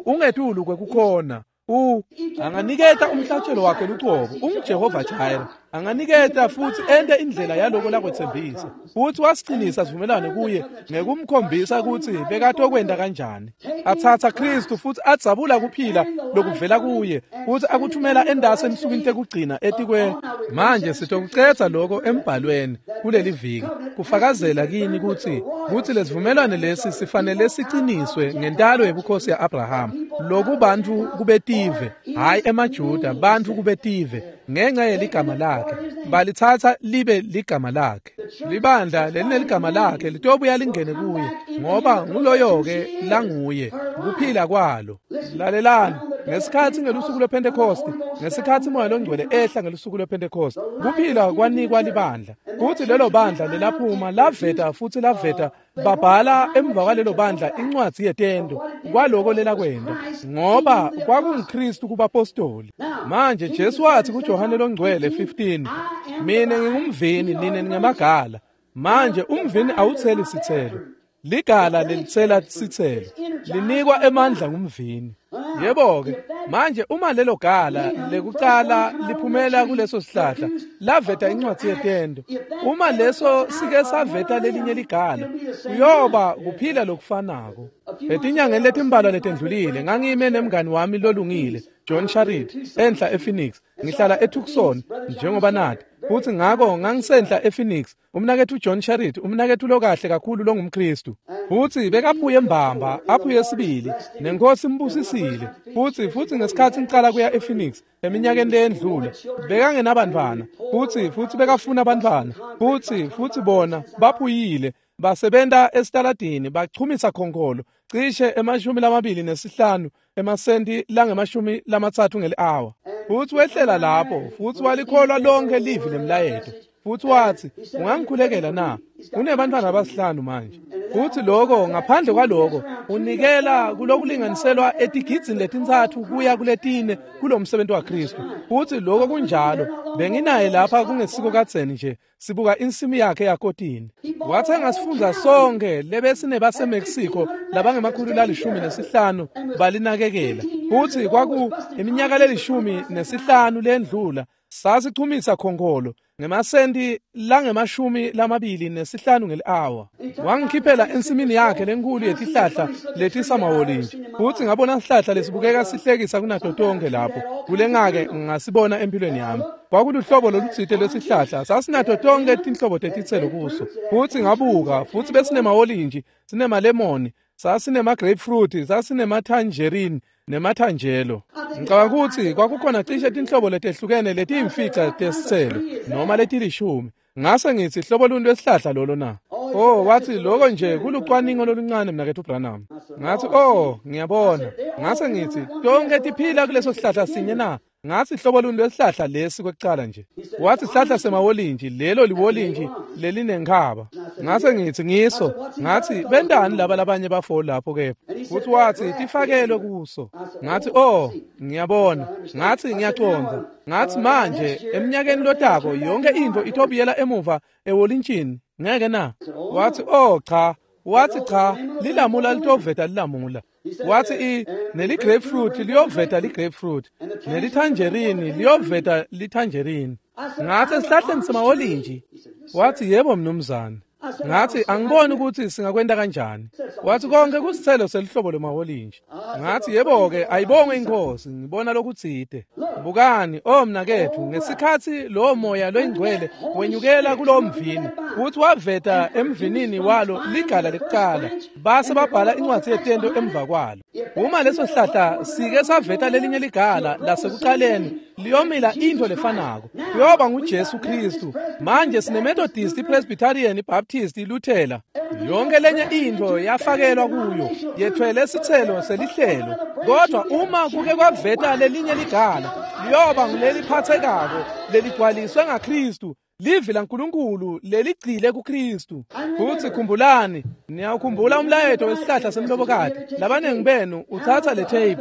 Ungetulu kwekukhona. U anganiketa umhlatshelo wakhe lucobo, unguJehova Jireh. Anganiketa futsi ente indlela yaloko lakwetsembisa. Futsi wasiqinisa sivumelwano kuye ngekumkhombisa kutsi bekatokwenta kanjani. Atsatsa Kristu futsi adzabula kuphila lokuvela kuye, futsi akuthumela endasi ensukwini tekugcina etikwe. Manje sitokucedza lokho embhalweni kuleli viki, kufakazela kini kutsi kutsi lesivumelwano lesi sifanele siciniswe ngentalo yebukhosi ya-Abrahama, lokubantfu kubetive, hhayi emaJuda, bantfu kubetive ngenxa yeligama lakhe. Balitsatsa libe ligama lakhe. Libandla lelineligama lakhe litobuya lingene kuye, ngoba nguloyo-ke languye kuphila kwalo. Lalelani, Ngesikhatsi ngelusuku lwePhentekosti, ngesikhatsi Moya loNgcwele ehla ngelusuku lwePhentekosti, kuphila kwanikwa libandla. Futsi lelo bandla lelaphuma laveta futsi laveta babhala emva kwalelo bandla incwadzi yetento kwaloko lelakwenta, ngoba kwakunguKristu kubapostoli. Manje Jesu wathi kuJohane loNgcwele fifteen, "Mine ngingumvini, nine ningemagala." Manje umvini awutseli sitselo, ligala lelitsela sitselo, linikwa emandla ngumvini. Yebo-ke, manje uma lelo gala lekucala liphumela kuleso sihlahla laveta incwadzi yetento, uma leso sike saveta lelinye ligala, kuyoba kuphila lokufanako. Etinyangeni letimbalwa letendlulile ngangime nemngani wami lolungile John Sharrit enhla ePhoenix. Ngihlala eTucson njengoba nati, futsi ngako ngangisenhla ePhoenix. Umnaketfu John Sharrit, umnaketfu lokahle kakhulu longumKristu, futsi bekaphuye mbamba aphuye sibili, nenkosi imbusisile. Futsi futsi ngesikhatsi ngicala kuya ePhoenix eminyakeni leyendlule, bekangenabantfwana, futsi futsi bekafuna abantfwana, futsi futsi bona baphuyile, basebenta esitaladini bachumisa khonkolo cishe emashumi lamabili nesihlanu emasenti langemashumi lamatsatfu ngeli-awa. Futsi wehlela lapho futsi walikholwa lonke livi lemlayeto. Futsi watsi, "Ungangikhulekela na? Unebantfwana abasihlanu manje." Futsi lokho ngaphandle kwaloko unikela kulokulinganiselwa etigidzini letintsatfu kuya kuletine kulomsebenzi waKristu. Futsi lokho kunjalo. Benginaye lapha kungesiko kadzeni nje, sibuka insimi yakhe yakotini. Wathenga sifundza sonke lebesinebaseMexico labangemakhulu lalishumi nesihlanu balinakekela. Futsi kwaku iminyaka lelishumi nesihlanu lendlula sasichumisa khonkolo ngemasenti langemashumi lamabili nesihlanu ngeli-awa. Wangikhiphela ensimini yakhe lenkulu yetihlahla letisamawolintshi, futsi ngabona sihlahla lesibukeka sihlekisa kunato tonke lapho kulengake ngasibona empilweni yami. Kwakuluhlobo lolutsite lwesihlahla, sasinato tonke tinhlobo tetitselo kuso. Futsi ngabuka, futsi besinemawolintshi, sinemalemoni, sasinema-grapefruit, sasinema-tangerine nemathanjelo. Ngicabanga ukuthi kwakukhona cishe tinhlobo letehlukene letiyimfica tesitselo noma letilishumi. Ngase ngithi, hlobo luni lwesihlahla lolo na? Oh, wathi, lokho nje kulucwaningo loluncane mnaketfu Branham. Ngathi, oh, ngiyabona. Ngase ngithi, tonke tiphila kuleso sihlahla sinye na? Ngathi, hlobo luni lwesihlahla lesi kwekucala nje? Wathi, sihlahla semawolintshi, lelo liwolintshi lelinenkhaba. Ngase ngithi, ngiso. Ngathi, bentani laba labanye bafo lapho kepha? Futhi wathi, tifakelwe kuso. Ngathi, oh, ngiyabona. Ngathi, ngiyacondza. Ngathi, manje eminyakeni lotako yonke intfo itobuyela emuva ewolintshini, ngeke na? Wathi, oh cha. Wathi, cha, lilamula litoveta lilamula. Wathi, i neli-grapefruit liyoveta li-grapefruit, nelitangerine liyoveta litangerine. Ngathi, esihlahleni semawolintshi? Wathi, yebo mnumzane. Ngathi, angiboni ukuthi singakwenta kanjani. Wathi, konke kusithelo selihlobo lwemawolintshi. Ngathi, yebo-ke, ayibongwe inkosi, ngibona lokutsite. Bukani, oh mnaketfu, ngesikhatsi lowo moya loyingcwele wenyukela kulowo mvini, futsi waveta emvinini walo ligala lekucala, base babhala incwadzi yetento emva kwalo. Uma leso sihlahla sike saveta lelinye ligala lasekucaleni, liyomila intfo lefanako, kuyoba nguJesu Kristu. Manje sineMethodist, iPresbyterian, iBaptist, iLuthela, yonke lenye intfo yafakelwa kuyo, yethwele sitselo selihlelo. Kodwa uma kuke kwaveta lelinye ligala, liyoba nguleliphathekako leligcwaliswe ngaKristu, livi laNkulunkulu leligcile kuKristu. Futsi khumbulani, niyawukhumbula umlayeto wesihlahla semlobokati. Labanengi benu utsatsa le tape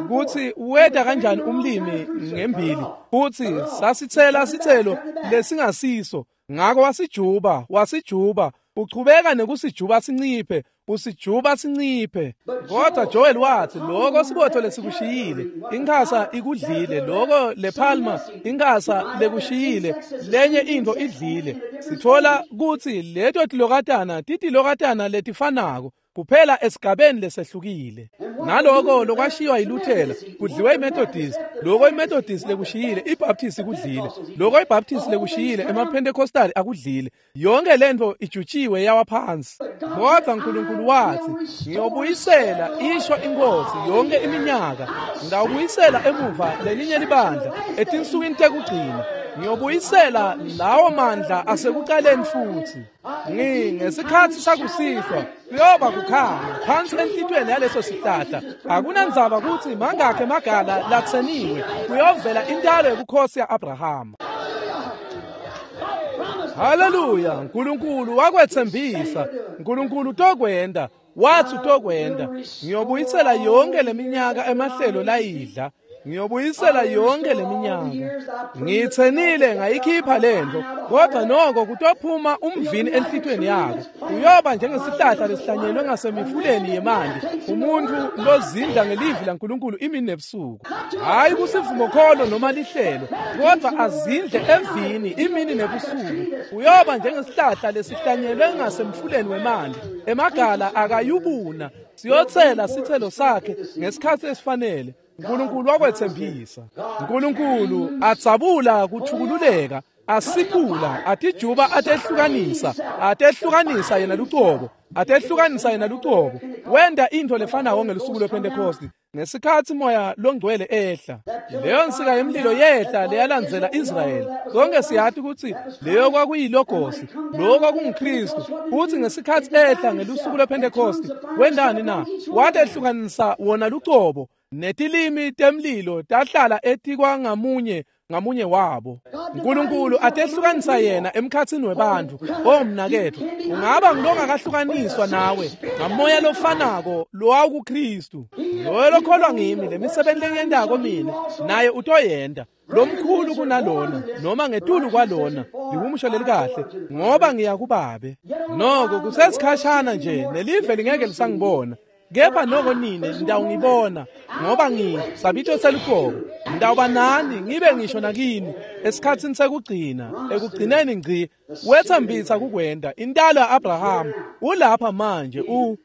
kutsi weta kanjani umlimi ngembili, futsi sasitsela sitselo lesingasiso. Ngako wasijuba, wasijuba, uchubeka nekusijuba sinciphe, usijuba sinciphe. Kodwa Joel wathi, lokho sibotho lesikushiyile, inkhasa ikudlile, lokho lepalma inkhasa lekushiyile, lenye intfo idlile. Sitfola kutsi leto tilokatana titilokatana letifanako kuphela esigabeni lesehlukile. Naloko lokwashiywa yiLuthela kudliwe iMethodist, loko iMethodist lekushiyile iBaptist kudlile, loko iBaptist lekushiyile emaPentecostal akudlile. Yonke lentfo ijutshiwe yawa phansi. Kodwa uNkulunkulu wathi, ngiyobuyisela, isho inkosi, yonke iminyaka ngawubuyisela emuva lelinye libandla etinsukwini tekugcina. Ngiyobuyisela lawo mandla asekuqaleni futhi. Ngi ngesikhathi sakusihlwa kuyoba kukhanya phansi enhlitweni yaleso sihlahla. Akunandzaba ukuthi mangakhe emagala latseniwe, kuyovela intalo yobukhosi ya-Abrahama. Haleluya! Nkulunkulu wakwetsembisa, Nkulunkulu utokwenta, wathi utokwenta. Ngiyobuyisela yonke leminyaka emahlelo layidla. Ngiyobuyisela yonke leminyaka. Ngitsenile ngayikhipha lento, kodwa noko kutophuma umvini enhlitweni yakho. Uyoba njengesihlahla lesihlanyelwe ngasemifuleni yemanti, umuntu lozindla ngelivi laNkulunkulu imini nebusuku. Hayi kusivumokholo noma lihlelo, kodwa azindle evini imini nebusuku. Uyoba njengesihlahla lesihlanyelwe ngasemfuleni wemanti, emagala akayubuna, siyothela sithelo sakhe ngesikhathi esifanele. Nkulunkulu wakwetsembisa. Nkulunkulu atsabula kuthukululeka, asiphula, atijuba, atehlukanisa, atehlukanisa yena lucobo, atehlukanisa yena lucobo. Wenda into lefanayo ngelusuku lwePentecost ngesikhathi moya longcwele ehla. Leyo nsika yemlilo yehla leyalandzela Israyeli. Sonke siyathi ukuthi leyo kwakuyilogosi, lokho kwakunguKristu. Futhi ngesikhathi ehla ngelusuku lwePentecost, wendani na? Watehlukanisa wona lucobo. Netilimi temlilo tahlala etikwa ngamunye ngamunye wabo. Nkulunkulu atehlukanisa yena emkhatsini webantfu. Omnaketfu, ungaba ngilongakahlukaniswa nawe ngamoya lofanako lowawukuKristu. Loyo lokholwa ngimi, lemisebenzi lengiyentako mina naye utoyenta, lomkhulu kunalona noma ngetulu kwalona. Lihumusho lelikahle, ngoba ngiya kuBabe. Noko kusesikhashana nje nelive lingeke lisangibona, kepha noko nine nitawungibona, ngoba ngisabito seluqobo. Ngitawuba nani ngibe ngisho nakini esikhatsini sekugcina, ekugcineni ngci. Wetsembisa kukwenta. Intalo ya-Abrahama ulapha manje. U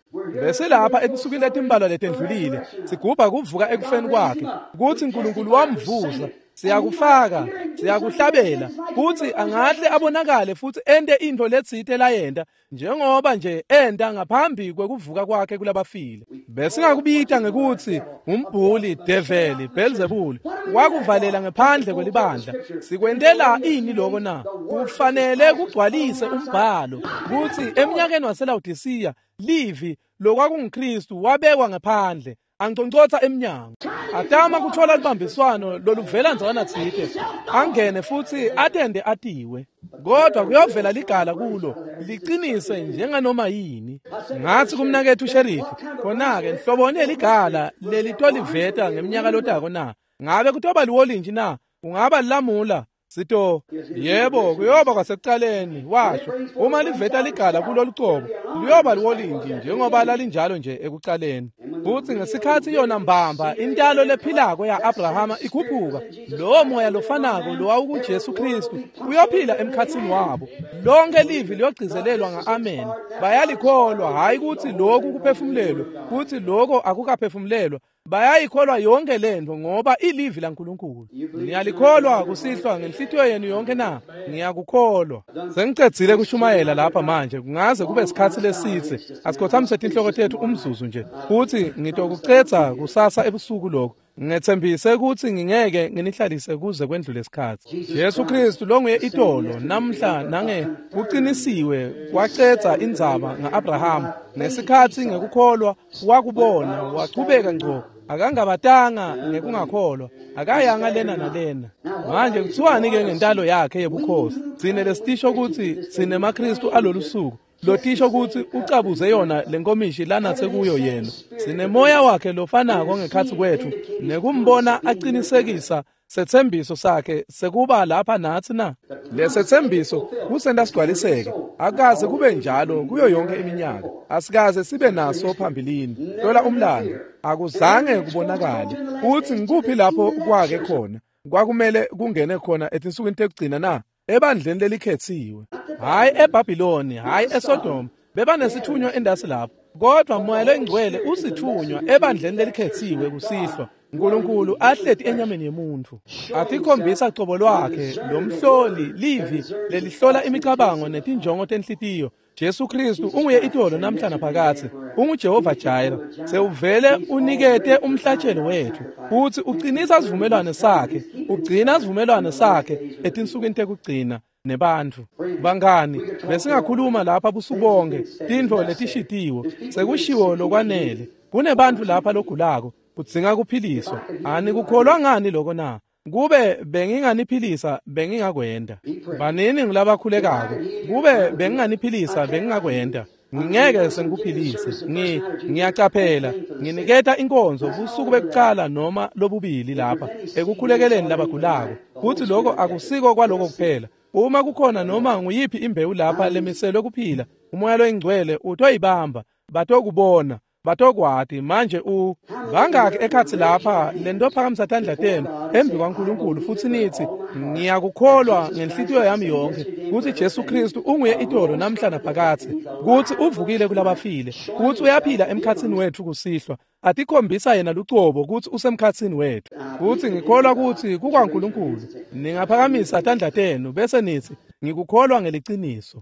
besilapha etinsukwini letimbalwa letendlulile sigubha kuvuka ekufeni kwakhe, kutsi Nkulunkulu wamvusa. Siyakufaka, siyakuhlabela kutsi angahle abonakale futhi ente into letsite layenta njengoba nje enta ngaphambi kwekuvuka kwakhe kulabafile. Besingakubita ngekutsi umbhuli, develi, Beelzebuli, wakuvalela ngephandle kwelibandla. Sikwentela ini lokho na? Kufanele kugcwalise umbhalo kutsi eminyakeni waseLawodisiya livi lokwakunguKristu wabekwa ngephandle, anconcotsa emnyango, atama kuthola libambiswano loluvela ndzawana tsite, angene futhi atende atiwe. Kodwa kuyovela ligala kulo liqinise njenganoma yini. Ngathi kumnakethu sheriff, khona-ke nhloboni ligala lelitoliveta ngeminyaka lotako na? Ngabe kutoba liwolintshi na? Kungaba lilamula? Sito, yebo, kuyoba kwasekuqaleni, washo. Uma liveta ligala kulo lucobo, liyoba liwolintshi njengoba lalinjalo nje ekuqaleni. Futhi ngesikhathi yona mbamba intalo lephilako ya-Abrahama ikhuphuka, lowo moya lofanako lowawukuJesu Kristu uyophila emkhatsini wabo. Lonke livi liyogcizelelwa nga-amen. Bayalikholwa, hhayi kutsi lokhu kuphefumulelwe, kutsi lokho akukaphefumulelwa. Bayayikholwa yonke lento ngoba ilivi laNkulunkulu. Niyalikholwa kusihlwa ngenhlitiyo yenu yonke na? Ngiyakukholwa. Sengicedzile kushumayela lapha manje, kungaze kube isikhathi lesitse. Asikhothamise tinhloko tethu umzuzu nje, futhi ngitokucedza kusasa ebusuku lokho. Ngetsembise kutsi ngingeke nginihlalise kuze kwendlule isikhathi. Jesu Kristu longuye itolo namhla nange kuqinisiwe kwacedza indzaba nga-Abrahama ngesikhathi ngekukholwa wakubona wachubeka ngco, akangabatanga ngekungakholwa, akayanga lena nalena. Manje kuthiwani ke ngentalo yakhe yebukhosi? Tsine lesitisho kutsi sinemaKristu alolu suku, lotisho kutsi ucabuze yona lenkomishi lanatse kuyo yena. Sinemoya wakhe lofanako ngekhatsi kwetfu nekumbona aqinisekisa setsembiso sakhe sekuba lapha natsi na. Lesetsembiso kusenta sigcwaliseke. Akaze kube njalo kuyo yonke iminyaka. Asikaze sibe naso phambilini. Hlola umlando, akuzange kubonakale. Uthi ngikuphi lapho kwake khona kwakumele kungene khona etinsukwini tekugcina na? Ebandleni lelikhethiwe, hhayi eBhabhiloni, hhayi eSodoma. Bebanesithunywa endasi lapho, kodwa moya longcwele usithunywa ebandleni lelikhethiwe kusihlwa. Nkulunkulu ahleti enyameni yemuntu, atikhombisa cobo lwakhe, lomhloli livi lelihlola imicabango netinjongo tenhlitiyo. Jesu Kristu unguye itolo namhla naphakadze, unguJehova Jireh. Sewuvele unikete umhlatshelo wethu futhi uqinisa sivumelwano sakhe, ugcina sivumelwano sakhe etinsukwini tekugcina nebantfu. Bangani, besingakhuluma lapha busuku bonke tintfo letishitiwe, sekushiwo lokwanele. Kunebantfu lapha logulako, kudzinga kuphiliswa. Anikukholwa ngani lokho na? Kube benginganiphilisa bengingakwenda. Banini ngilabakhulekako. Kube benginganiphilisa bengingakwenda. Ngingeke sengikuphilise. Ngi ngiyacaphela, nginiketa inkonzo busuku bekucala noma lobubili lapha ekukhulekeleni labagulako. Futhi lokho akusiko kwaloko kuphela. Uma kukhona noma nguyiphi imbewu lapha lemiselwe kuphila, umoya loyingcwele utoyibamba, batokubona, batokwati. Manje u bangaki ekhatsi lapha lento phakamisa tandla tenu embi kwaNkulunkulu futhi nithi ngiyakukholwa ngenhlitiyo yami yonke ukuthi Jesu Kristu unguye itolo namhla naphakadze, ukuthi uvukile kulabafile, ukuthi uyaphila emkhatsini wethu kusihlwa, atikhombisa yena lucobo ukuthi usemkhatsini wethu. Futhi ngikholwa ukuthi kukwaNkulunkulu. Ningaphakamisa tandla tenu bese nithi ngikukholwa ngeliciniso.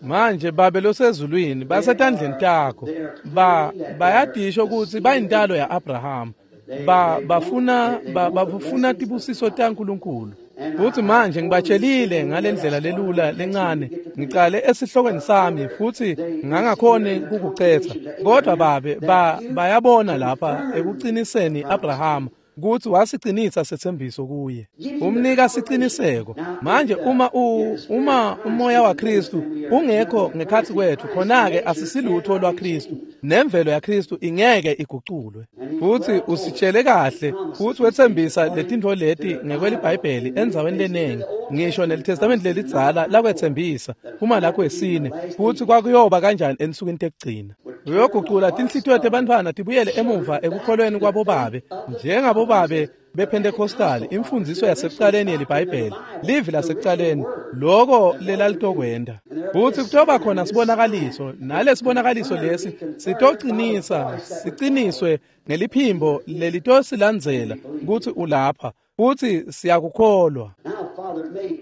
Manje Babe losezulwini, basetandleni takho. Ba bayadisho ukuthi bayintalo ya-Abraham. Ba bafuna ba, bafuna tibusiso taNkulunkulu. Futhi manje ngibatshelile ngalendlela lelula lencane, ngicale esihlokweni sami futhi ngangakhoni kukucetha. Kodwa Babe ba bayabona lapha ekuqiniseni Abraham ukuthi wasiqinisa sethembiso kuye, umnika siqiniseko. Manje uma u, uma umoya waKristu ungekho ngekhathi kwethu, khona-ke asisilutho lwaKristu, nemvelo yaKristu ingeke iguculwe. Futhi usitshele kahle futhi wethembisa letintfo leti ngekweliBhayibheli endzaweni leningi, ngisho neliTestament lelidzala lakwethembisa uma lakho wesine, futhi kwakuyoba kanjani ensukwini tekugcina. Uyogucula tinhlitiyo tebantfwana tibuyele emuva ekukholweni kwabobabe, njengabobabe bePentecostal, imfundiso yasekucaleni yeliBhayibheli, livi lasekucaleni, loko lelalitokwenda. Futhi kutoba khona sibonakaliso, nalesibonakaliso lesi sitocinisa, siqiniswe ngeliphimbo lelitosilandzela ukuthi ulapha, futhi siyakukholwa.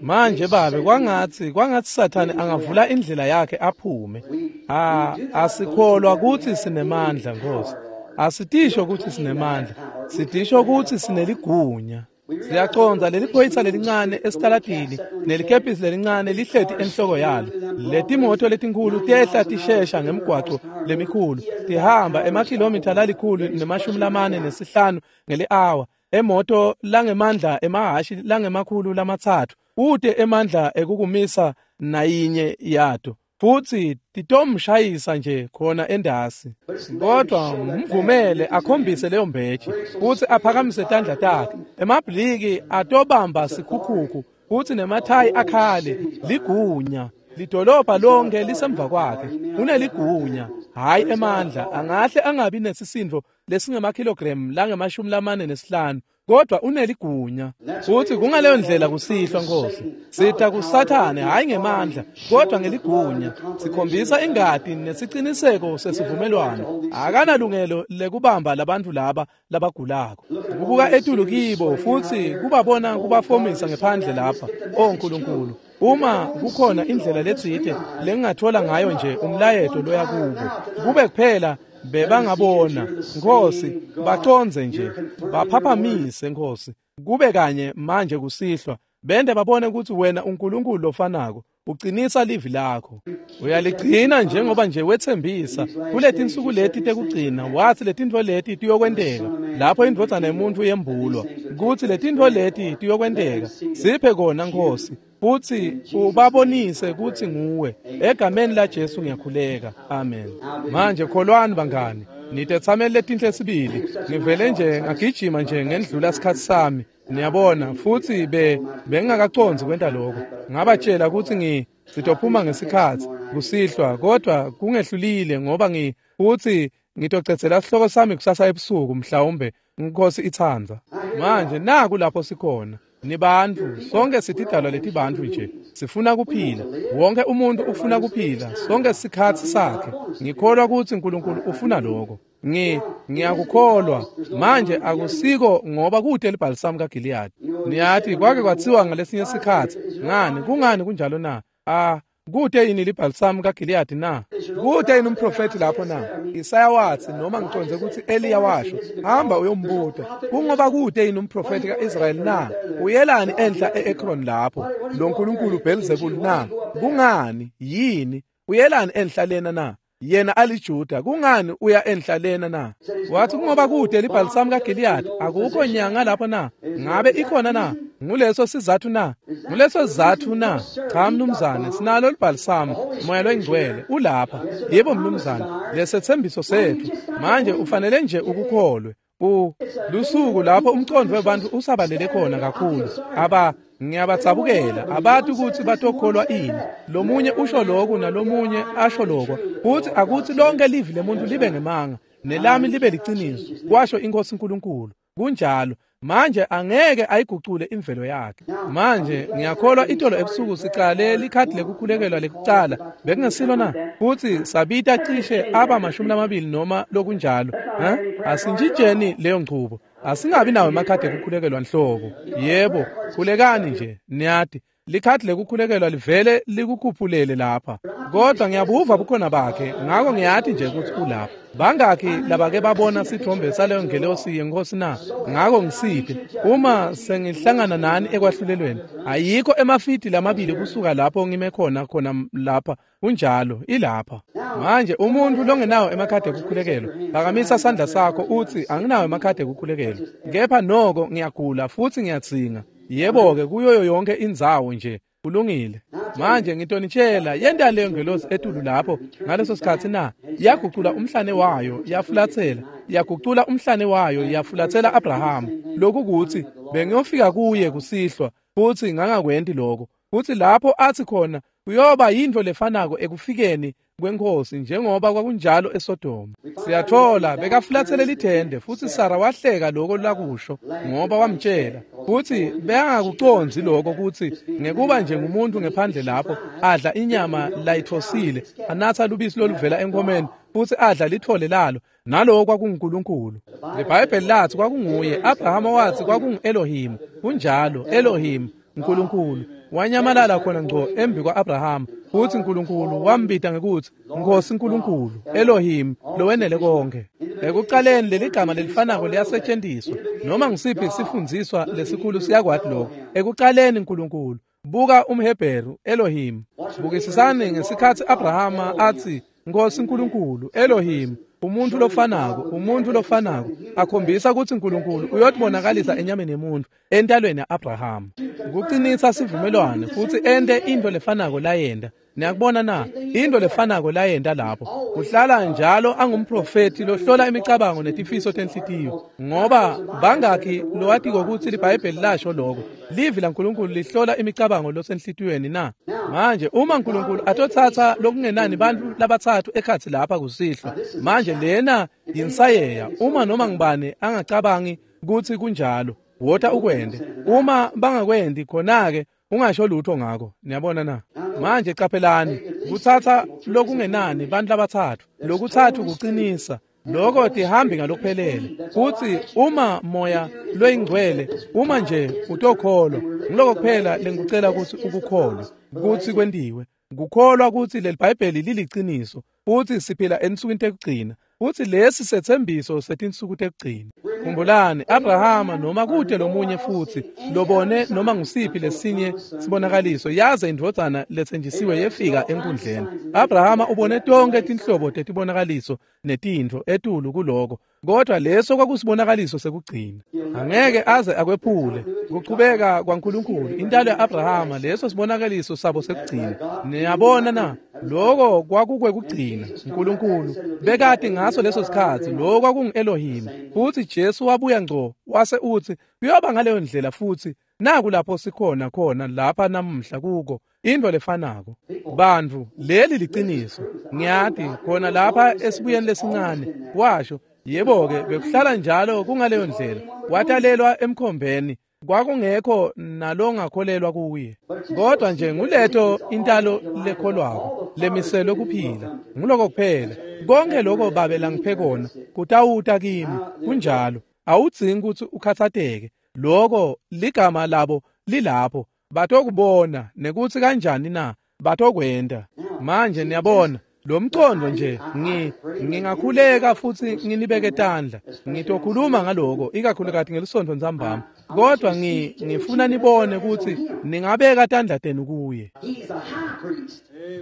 Manje Babe, kwangathi kwangathi Sathane angavula indlela yakhe aphume. Ah, asikholwa ukuthi sinemandla Nkosi. Asitisho ukuthi sinemandla, sitisho ukuthi sineligunya. Siyaconza leli phoyisa lelincane esitaladini nelikepisi lelincane lihleti enhloko yalo. Letimoto letinkulu tehla tishesha ngemgwaco lemikhulu, tihamba emakhilomitha lalikhulu nemashumi lamane nesihlanu ngeli-awa. Emoto langemandla emahashi langemakhulu lamatsatfu ute emandla ekukumisa nayinye yato, futhi titomshayisa nje khona endasi. Kodwa mvumele akhombise leyo mbeji futhi aphakamise tandla takhe. Emabhliki atobamba sikhukhuku futhi nemathayi akhale. Ligunya lidolobha lonke lisemva kwakhe. Uneligunya, hayi emandla. Angahle angabi nesisindo lesingemakhilogram langemashumi lamane nesihlanu, kodwa uneligunya. Futhi kungaleyo ndlela kusihlwa Nkosi, sitha kuSathane hayi ngemandla kodwa ngeligunya. Sikhombisa ingati nesiciniseko sesivumelwano. Akanalungelo lekubamba labantu laba labagulako. Kubuka etulu kibo futhi kubabona kubafomisa ngephandle lapha. O Nkulunkulu, uma kukhona indlela letsite lengingathola ngayo nje umlayeto loya kubo, kube kuphela bebangabona Nkosi, baconze nje, baphaphamise Nkosi, kube kanye manje kusihlwa, bende babone ukuthi wena uNkulunkulu lofanako uqinisa livi lakho, uyaligcina njengoba nje wethembisa kuletinsuku leti tekugcina. Wathi letintfo leti tiyokwenteka lapho indvodzana yemuntfu yembulwa, kutsi letintfo leti tiyokwenteka. Siphe kona Nkosi, futhi ubabonise kutsi nguwe. Egameni la Jesu ngiyakhuleka, amen. Manje kholwani bangani, nitetsameli letinhle sibili. Ngivele nje ngagijima nje ngendlula sikhatsi sami, niyabona, futhi be bengingakaconzi kwenta lokho. Ngabatshela ukuthi ngi sitophuma ngesikhatsi kusihlwa, kodwa kungehlulile ngoba ngi futhi ngitocedzela sihloko sami kusasa ebusuku mhlawumbe Nkosi itsandza. Manje naku lapho sikhona. Nibantu, sonke sitidalwa letibantfu nje, sifuna kuphila. Wonke umuntu ufuna kuphila, sonke sikhatsi sakhe. Ngikholwa ukuthi uNkulunkulu ufuna lokho. Ngi ngiyakukholwa. Manje akusiko ngoba kute libhalisamu kaGiliyadi. Niyathi kwake kwatsiwa ngalesinye sikhatsi, ngani kungani kunjalo na? Ah, Kute yini libhalisamu kaGiliyadi na? Kute yini umprofethi lapho na? Isaya wathi, noma ngiconze ukuthi Eliya washo, hamba uyombuta. Kungoba kute yini umprofethi kaIsrayeli na? Uyelani enhla e-Ekron lapho? Lo nkulunkulu Beelzebul na? Kungani? Yini? Uyelani enhla lena na? Yena aliJuda, kungani uya enhla lena na? Wathi kungoba kude libhalisamu kaGiliyadi, akukho nyanga lapho na? Ngabe ikhona na? Nguleso sizathu na? Nguleso sizathu na? Cha mnumzane, sinalo libhalisamu, moya loyingcwele ulapha. Yebo mnumzane, lesethembiso sethu. Manje ufanele nje ukukholwe. U lusuku lapho umcondo webantu usabalele khona kakhulu. Aba ngiyabatsabukela abati ukuthi batokholwa ini. Lomunye usho lokhu nalomunye asho lokho. Futhi akuthi lonke livi lemuntu libe ngemanga nelami libe liciniso, kwasho inkosi uNkulunkulu. Kunjalo. Manje angeke ayigucule imvelo yakhe. Manje ngiyakholwa itolo ebusuku sicale likhadi lekukhulekelwa lekucala bekungesilo na? Futhi sabita cishe aba mashumi lamabili noma lokunjalo. Ha? Asintshintsheni leyo nchubo. Asingabi nawo emakhadi ekukhulekelwa nhlobo. Yebo, khulekani nje, niyati. Likhadi lekukhulekelwa livele likukhuphulele lapha. Kodwa ngiyabuva bukhona bakhe, ngakho ngiyati nje ukuthi ulapha. Bangakhi labake babona sithombe saleyo ngelosi yenkosi na? Ngakho ngisiphi uma sengihlangana nani ekwahlulelweni? Ayikho emafiti lamabili kusuka lapho ngime khona khona lapha. Kunjalo, ilapha. Manje umuntu longenawo emakhadi ekukhulekelwa, phakamisa sandla sakho uthi anginawo emakhadi ekukhulekelwa. Kepha noko ngiyagula futhi ngiyatsinga. Yebo-ke kuyoyo yonke indzawo nje. Kulungile. Manje ngitonitshela yenta leyo ngelosi etulu lapho ngaleso sikhathi na? Yagucula umhlane wayo yafulathela, yagucula umhlane wayo yafulathela Abraham. Lokhu kuthi bengiyofika kuye kusihlwa futhi ngangakwenti lokho. Futhi lapho athi khona kuyoba yinto lefanako ekufikeni kwenkosi njengoba kwakunjalo eSodoma. Siyathola bekafulathele lithende futhi Sara wahleka lokho lakusho ngoba wamtshela. Futhi bekangakuconzi lokho ukuthi ngekuba nje ngumuntu ngephandle lapho adla inyama layithosile, anatha lubisi loluvela enkomeni futhi adla lithole lalo, naloko kwakunguNkulunkulu. IBhayibheli lathi kwakunguye. Abraham wathi kwakungu-Elohim. Kunjalo, Elohim, uNkulunkulu. Wanyamalala khona ngco embi kwa-Abraham. Futhi uNkulunkulu wambita ngekuthi Nkosi uNkulunkulu, Elohim, lowenele konke. Ekuqaleni leli gama lelifanako liyasetshenziswa. Noma ngisiphi sifundziswa lesikhulu siyakwati lokho. Ekuqaleni uNkulunkulu. Buka umHebheru, Elohim. Bukisisani ngesikhathi Abrahama athi Nkosi uNkulunkulu, Elohim, umuntu lofanako, umuntu lofanako, akhombisa ukuthi uNkulunkulu uyotibonakalisa enyameni yemuntu entalweni yaAbraham. Kuqinisa sivumelwano futhi ente into lefanako layenda. Niyakubona na? Into lefanako layenda lapho. Kuhlala njalo angumprofeti lohlola imicabango netifiso tenhlitiyo. Ngoba bangakhi lowatiko ukuthi liBhayibheli lasho lokho. Livi laNkulunkulu lihlola imicabango losenhlitiyweni na? Manje uma uNkulunkulu atothatha lokungenani bantu labathathu ekhathi lapha kusihlwa. Manje lena yinsayeya. Uma noma ngibani angacabangi ukuthi kunjalo, wota ukwende. Uma bangakwendi khona-ke ungasho lutho ngakho. Niyabona na? Manje qaphelani, kuthatha lokungenani bantu labathathu. Lokuthathu kuqinisa. Lokho tihambi ngalokuphelele. Kuthi uma moya loyingcwele, uma nje utokholwa, ngiloko kuphela lengikucela ukuthi ukukholwe, ukuthi kwentiwe. Kukholwa ukuthi leli Bhayibheli liliqiniso, futhi siphila ensukwini tekugcina. Futhi lesi sethembiso setinsuku tekugcina. Khumbulani, Abrahama noma kude lomunye futhi lobone noma ngusiphi lesinye sibonakaliso yaze indvodzana lethenjisiwe yefika enkundleni. Abrahama ubone tonke tinhlobo tetibonakaliso netintfo etulu kuloko, kodwa leso kwakusibonakaliso sekugcina. Angeke aze akwephule kuchubeka kwaNkulunkulu intalo yaAbrahama, leso sibonakaliso sabo sekugcina. Niyabona na? Lokho kwakukwekugcina. uNkulunkulu bekade ngaso leso sikhathi lokho kwakungu-Elohim. Futhi Jesu wabuya ngco wase uthi kuyoba ngaleyo ndlela futhi. Naku lapho sikhona khona lapha namuhla kuko into lefanako. Bantu, leli liqiniso. Ngiyati khona lapha esibuyeni lesincane washo, yebo-ke bekuhlala njalo kungaleyo ndlela. Watalelwa emkhombeni, kwakungekho nalongakholelwa kuye. Kodwa nje nguletho intalo lekholwako lemiselwe kuphila. Nguloko kuphela. Konke lokho babe langiphe kona kutawuta kimi. Kunjalo. Awudzingi ukuthi ukhathateke. Lokho ligama labo lilapho. Batokubona nekuthi kanjani na? Batokwenta. Manje niyabona lo mcondo nje ngi ngingakhuleka futsi nginibeke tandla. Ngitokhuluma ngaloko ikakhulukati ngelisonto ntsambama. Kodwa ngi ngifuna nibone kutsi ningabeka tandla tenu kuye.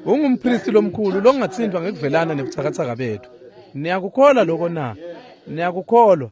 Ungumpristi lomkhulu longatsintfwa ngekuvelana nebutsakatsaka bethu. Niyakukholwa lokho na? Niyakukholwa.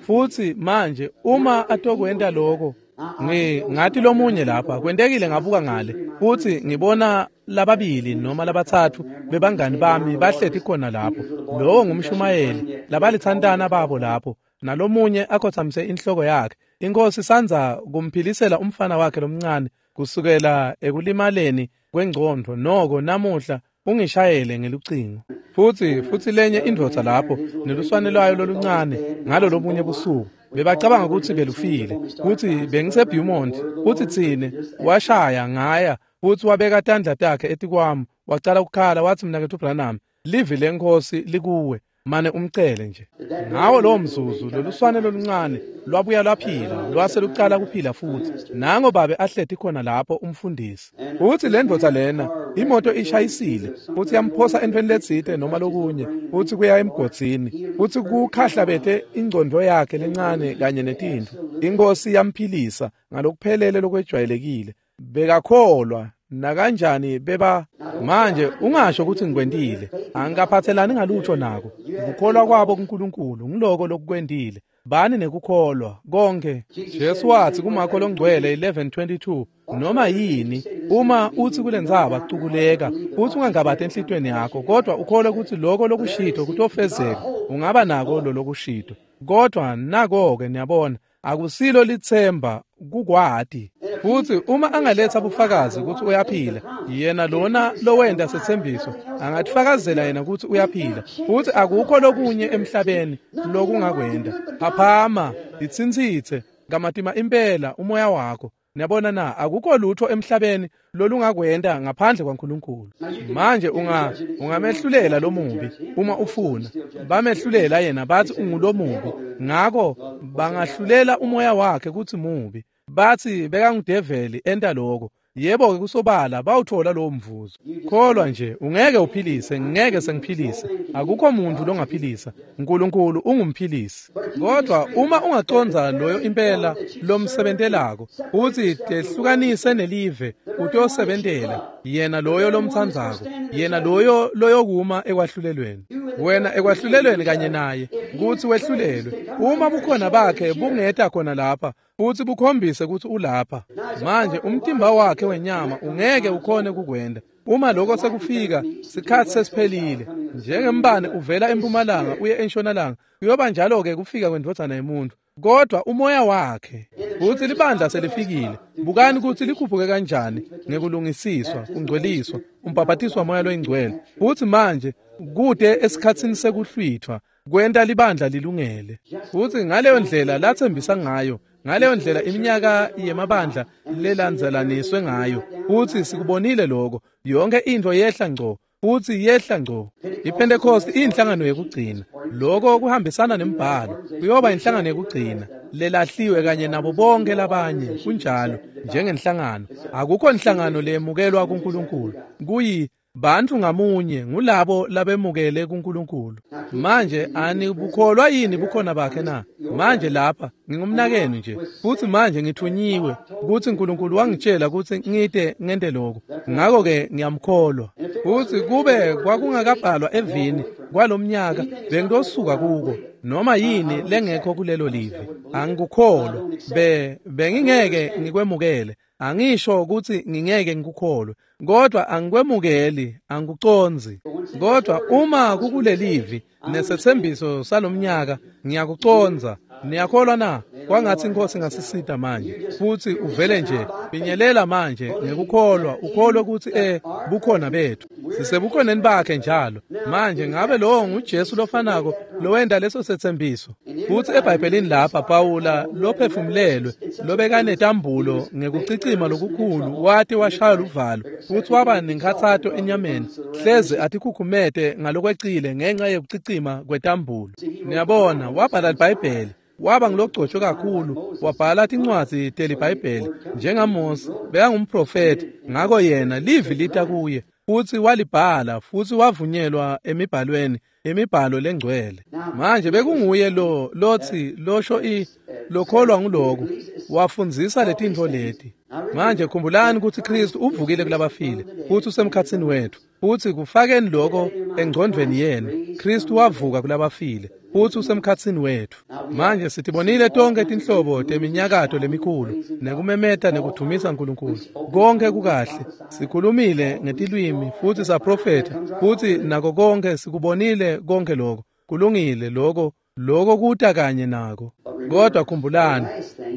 Futsi manje uma atokwenta lokho, ngi ngathi lomunye lapha kwentekile ngabuka ngale futsi ngibona lababili noma labatsatfu bebangani bami bahleti khona lapho. Lowo ngumshumayeli labalitsantana babo lapho, nalomunye akhotsamise inhloko yakhe. Inkosi sandza kumphilisela umfana wakhe lomncane kusukela ekulimaleni kwengcondvo, noko namuhla ungishayele ngelucingo. Futsi futsi lenye indvodza lapho neluswane lwayo loluncane ngalo lobunye busuku bebacabanga kutsi belufile, kutsi bengiseBeaumont, kutsi tsine washaya ngaya futsi wabeka tandla takhe etikwami wacala ukukhala watsi, "Mnaketfu Branham, livi leNkhosi likuwe, mane umcele nje." Ngawo lowo mzuzu loluswane loluncane lwabuya lwaphila, lwase lucala kuphila futsi. Nango babe ahleti khona lapho umfundisi. Futsi le ndvodza lena imoto ishayisile futsi yamphosa entfweni letsite noma lokunye, futsi kuya emgodzini, futsi kukhahlabete ingcondvo yakhe lencane kanye netintfo. Inkosi yamphilisa ngalokuphelele lokwejwayelekile. Bekakholwa nakanjani beba. Manje ungasho ukuthi ngikwentile, angikaphathelani ngalutho nako. Kukholwa kwabo kuNkulunkulu ngiloko lokukwentile. Bani nekukholwa konke. Jesu wathi kuMakho longcwele eleven twenty-two, noma yini uma uthi kulentsaba cukuleka, futhi ungangabati enhlitiyweni yakho, kodwa ukholwe ukuthi lokho lokushito kutofezeka, ungaba nako lo lokushito. Kodwa nako-ke niyabona, akusilo litsemba kukwati. Futsi uma angaletha bufakazi ukuthi uyaphila, yena lona lowenta setsembiso angatifakazela yena ukuthi uyaphila. Futsi akukho lokunye emhlabeni lokungakwenta. Phaphama, itsintsitse kamatima impela umoya wakho. Niyabona na, akukho lutho emhlabeni lolungakwenta ngaphandle kwaNkulunkulu. Manje unga ungamehlulela lomubi uma ufuna. Bamehlulela yena bathi ungulomubi, ngakho bangahlulela umoya wakhe kuthi mubi. Bathi bekangudeveli enta lokho. Yebo ke kusobala bawuthola lowo mvuzo. Kholwa nje, ungeke uphilise, ngeke sengiphilise. Akukho muntu longaphilisa. uNkulunkulu ungumphilisi. Kodwa uma ungaconza loyo impela lomsebentelako, uthi tehlukanise nelive utosebentela yena loyo lomtsandzako, yena loyo loyokuma ekwahlulelweni. Wena ekwahlulelweni kanye naye kuthi wehlulelwe. Uma bukhona bakhe bungeta khona lapha futhi bukhombise ukuthi ulapha. Manje umtimba wakhe wenyama ungeke ukhone kukwenda. Uma lokho sekufika sikhathi sesiphelile. Njengembane uvela empumalanga uye entshonalanga, kuyoba njalo ke kufika kwendvodzana yemuntu. Kodwa umoya wakhe uthi libandla selifikile. Bukani ukuthi likhuphuke kanjani ngekulungisiswa, kungcweliswa, umbhaphatiswa moya loyingcwele. Futhi manje kude esikhatsini sekuhlwithwa kwenta libandla lilungele. Futhi ngaleyo ndlela lathembisa ngayo, ngaleyo ndlela iminyaka yemabandla lelandzelaniswe ngayo, futhi sikubonile lokho. Yonke into yehla ngco, futhi yehla ngco. IPentecost iyinhlangano yekugcina. Lokho kuhambisana nembhalo. Kuyoba inhlangano yekugcina lelahliwe kanye nabo bonke labanye. Kunjalo njengenhlangano. Akukho inhlangano lemukelwa kuNkulunkulu. Kuyi bantu ngamunye ngulabo labemukele kuNkulunkulu. Manje anibukholwa yini bukhona bakhe na? Manje lapha ngingumnakenu nje, futhi manje ngithunyiwe ukuthi uNkulunkulu wangitshela ukuthi ngide ngente lokho, ngakho ke ngiyamkholwa. Futhi kube kwakungakabhalwa evini kwalomnyaka bengitosuka kuko noma yini lengekho kulelo live. Angikukholwa, be bengingeke ngikwemukele. Angisho ukuthi ngingeke ngikukholwe, kodwa angikwemukeli, angikuconzi. Kodwa uma kukulelivi nesethembiso salomnyaka ngiyakuconza. Niyakholwa na? Kwangathi inkosi ngasisita manje. Futhi uvele nje pinyelela manje ngekukholwa, ukholwe ukuthi eh bukhona bethu, sisebukhoneni bakhe njalo. Manje ngabe lowo nguJesu lofanako lowenda leso sethembiso? Futhi eBhayibhelini lapha Pawula lophefumulelwe lobekanetambulo ngekucicima lokukhulu wathi washaya luvalo futhi waba nenkhathato enyameni, hleze atikhukhumete ngalokwecile ngenxa yekucicima kwetambulo. Niyabona, wabhala iBhayibheli. Waba ngilogcotshwe kakhulu, wabhala tincwadzi teliBhayibheli njengaMose, bekangumprofeti, ngako yena livi lita kuye futhi walibhala futhi wavunyelwa emibhalweni, imibhalo lengcwele. Manje bekunguye lo lothi losho i lokholwa nguloko wafundzisa letintfo leti. Manje khumbulani ukuthi Kristu uvukile kulabafile futhi usemkhatsini wethu, futhi kufakeni lokho engcondvweni yenu. Kristu wavuka kulabafile futhi usemkhatsini wethu. Manje sitibonile tonke tinhlobo teminyakato lemikhulu nekumemeta nekuthumisa uNkulunkulu. Konke kukahle. Sikhulumile ngetilwimi futhi saprofetha futhi nako konke sikubonile konke lokho. Kulungile lokho, lokho kuta kanye nako. Kodwa khumbulani,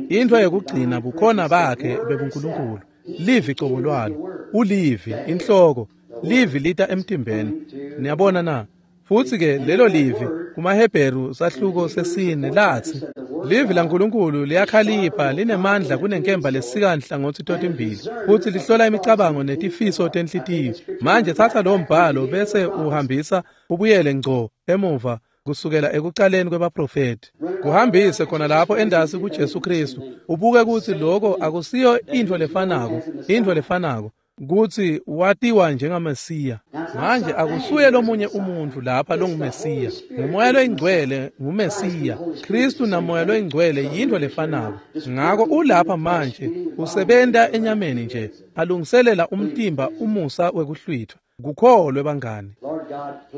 into yokugcina bukhona bakhe bebuNkulunkulu. Livi cobo lwalo, ulivi inhloko, livi lita emtimbeni. Niyabona na? Futhi ke lelo livi kumaHebheru sahluko sesine lathi livi laNkulunkulu liyakhalipha linemandla kunenkemba lesika nhlangothi totimbili futhi lihlola imicabango netifiso tenhlitiyo. Manje thatha lo mbhalo bese uhambisa ubuyele ngco emuva kusukela ekuqaleni kwebaprofeti, kuhambise khona lapho endasi kuJesu Kristu, ubuke ukuthi lokho akusiyo into lefanako, into lefanako kuthi watiwa njengaMesiya. Manje akusuye lomunye umuntu lapha longuMesiya, nguMoya loyingcwele nguMesiya. Kristu naMoya loyingcwele yinto lefanako. Ngako ulapha manje usebenta enyameni nje, alungiselela umtimba umusa wekuhlwithwa. Kukholwe bangani.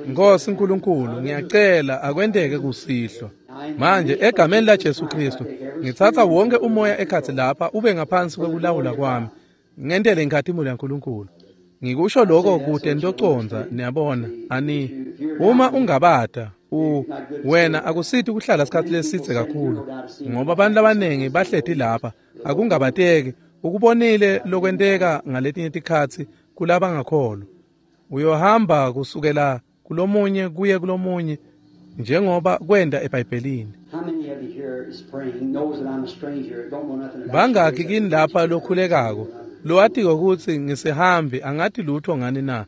Nkosi uNkulunkulu, ngiyacela akwenteke kusihlwa. Manje egameni laJesu Kristu, ngitsatsa wonke umoya ekhatsi lapha ube ngaphansi kwekulawula kwami. Ngentele inkhatimulo yaNkulunkulu. Ngikusho lokho kude ntoconza, niyabona. Ani uma ungabata u wena akusithi ukuhlala isikhathi lesidze kakhulu, ngoba abantu labaningi bahleti lapha akungabateki ukubonile lokwenteka ngaletinye tikhatsi kulabangakholwa. Uyohamba kusukela kulomunye kuye kulomunye njengoba kwenda eBhayibhelini. Bangaki kini lapha lokhulekako lowatiko ukuthi ngisihambi angathi lutho ngani na?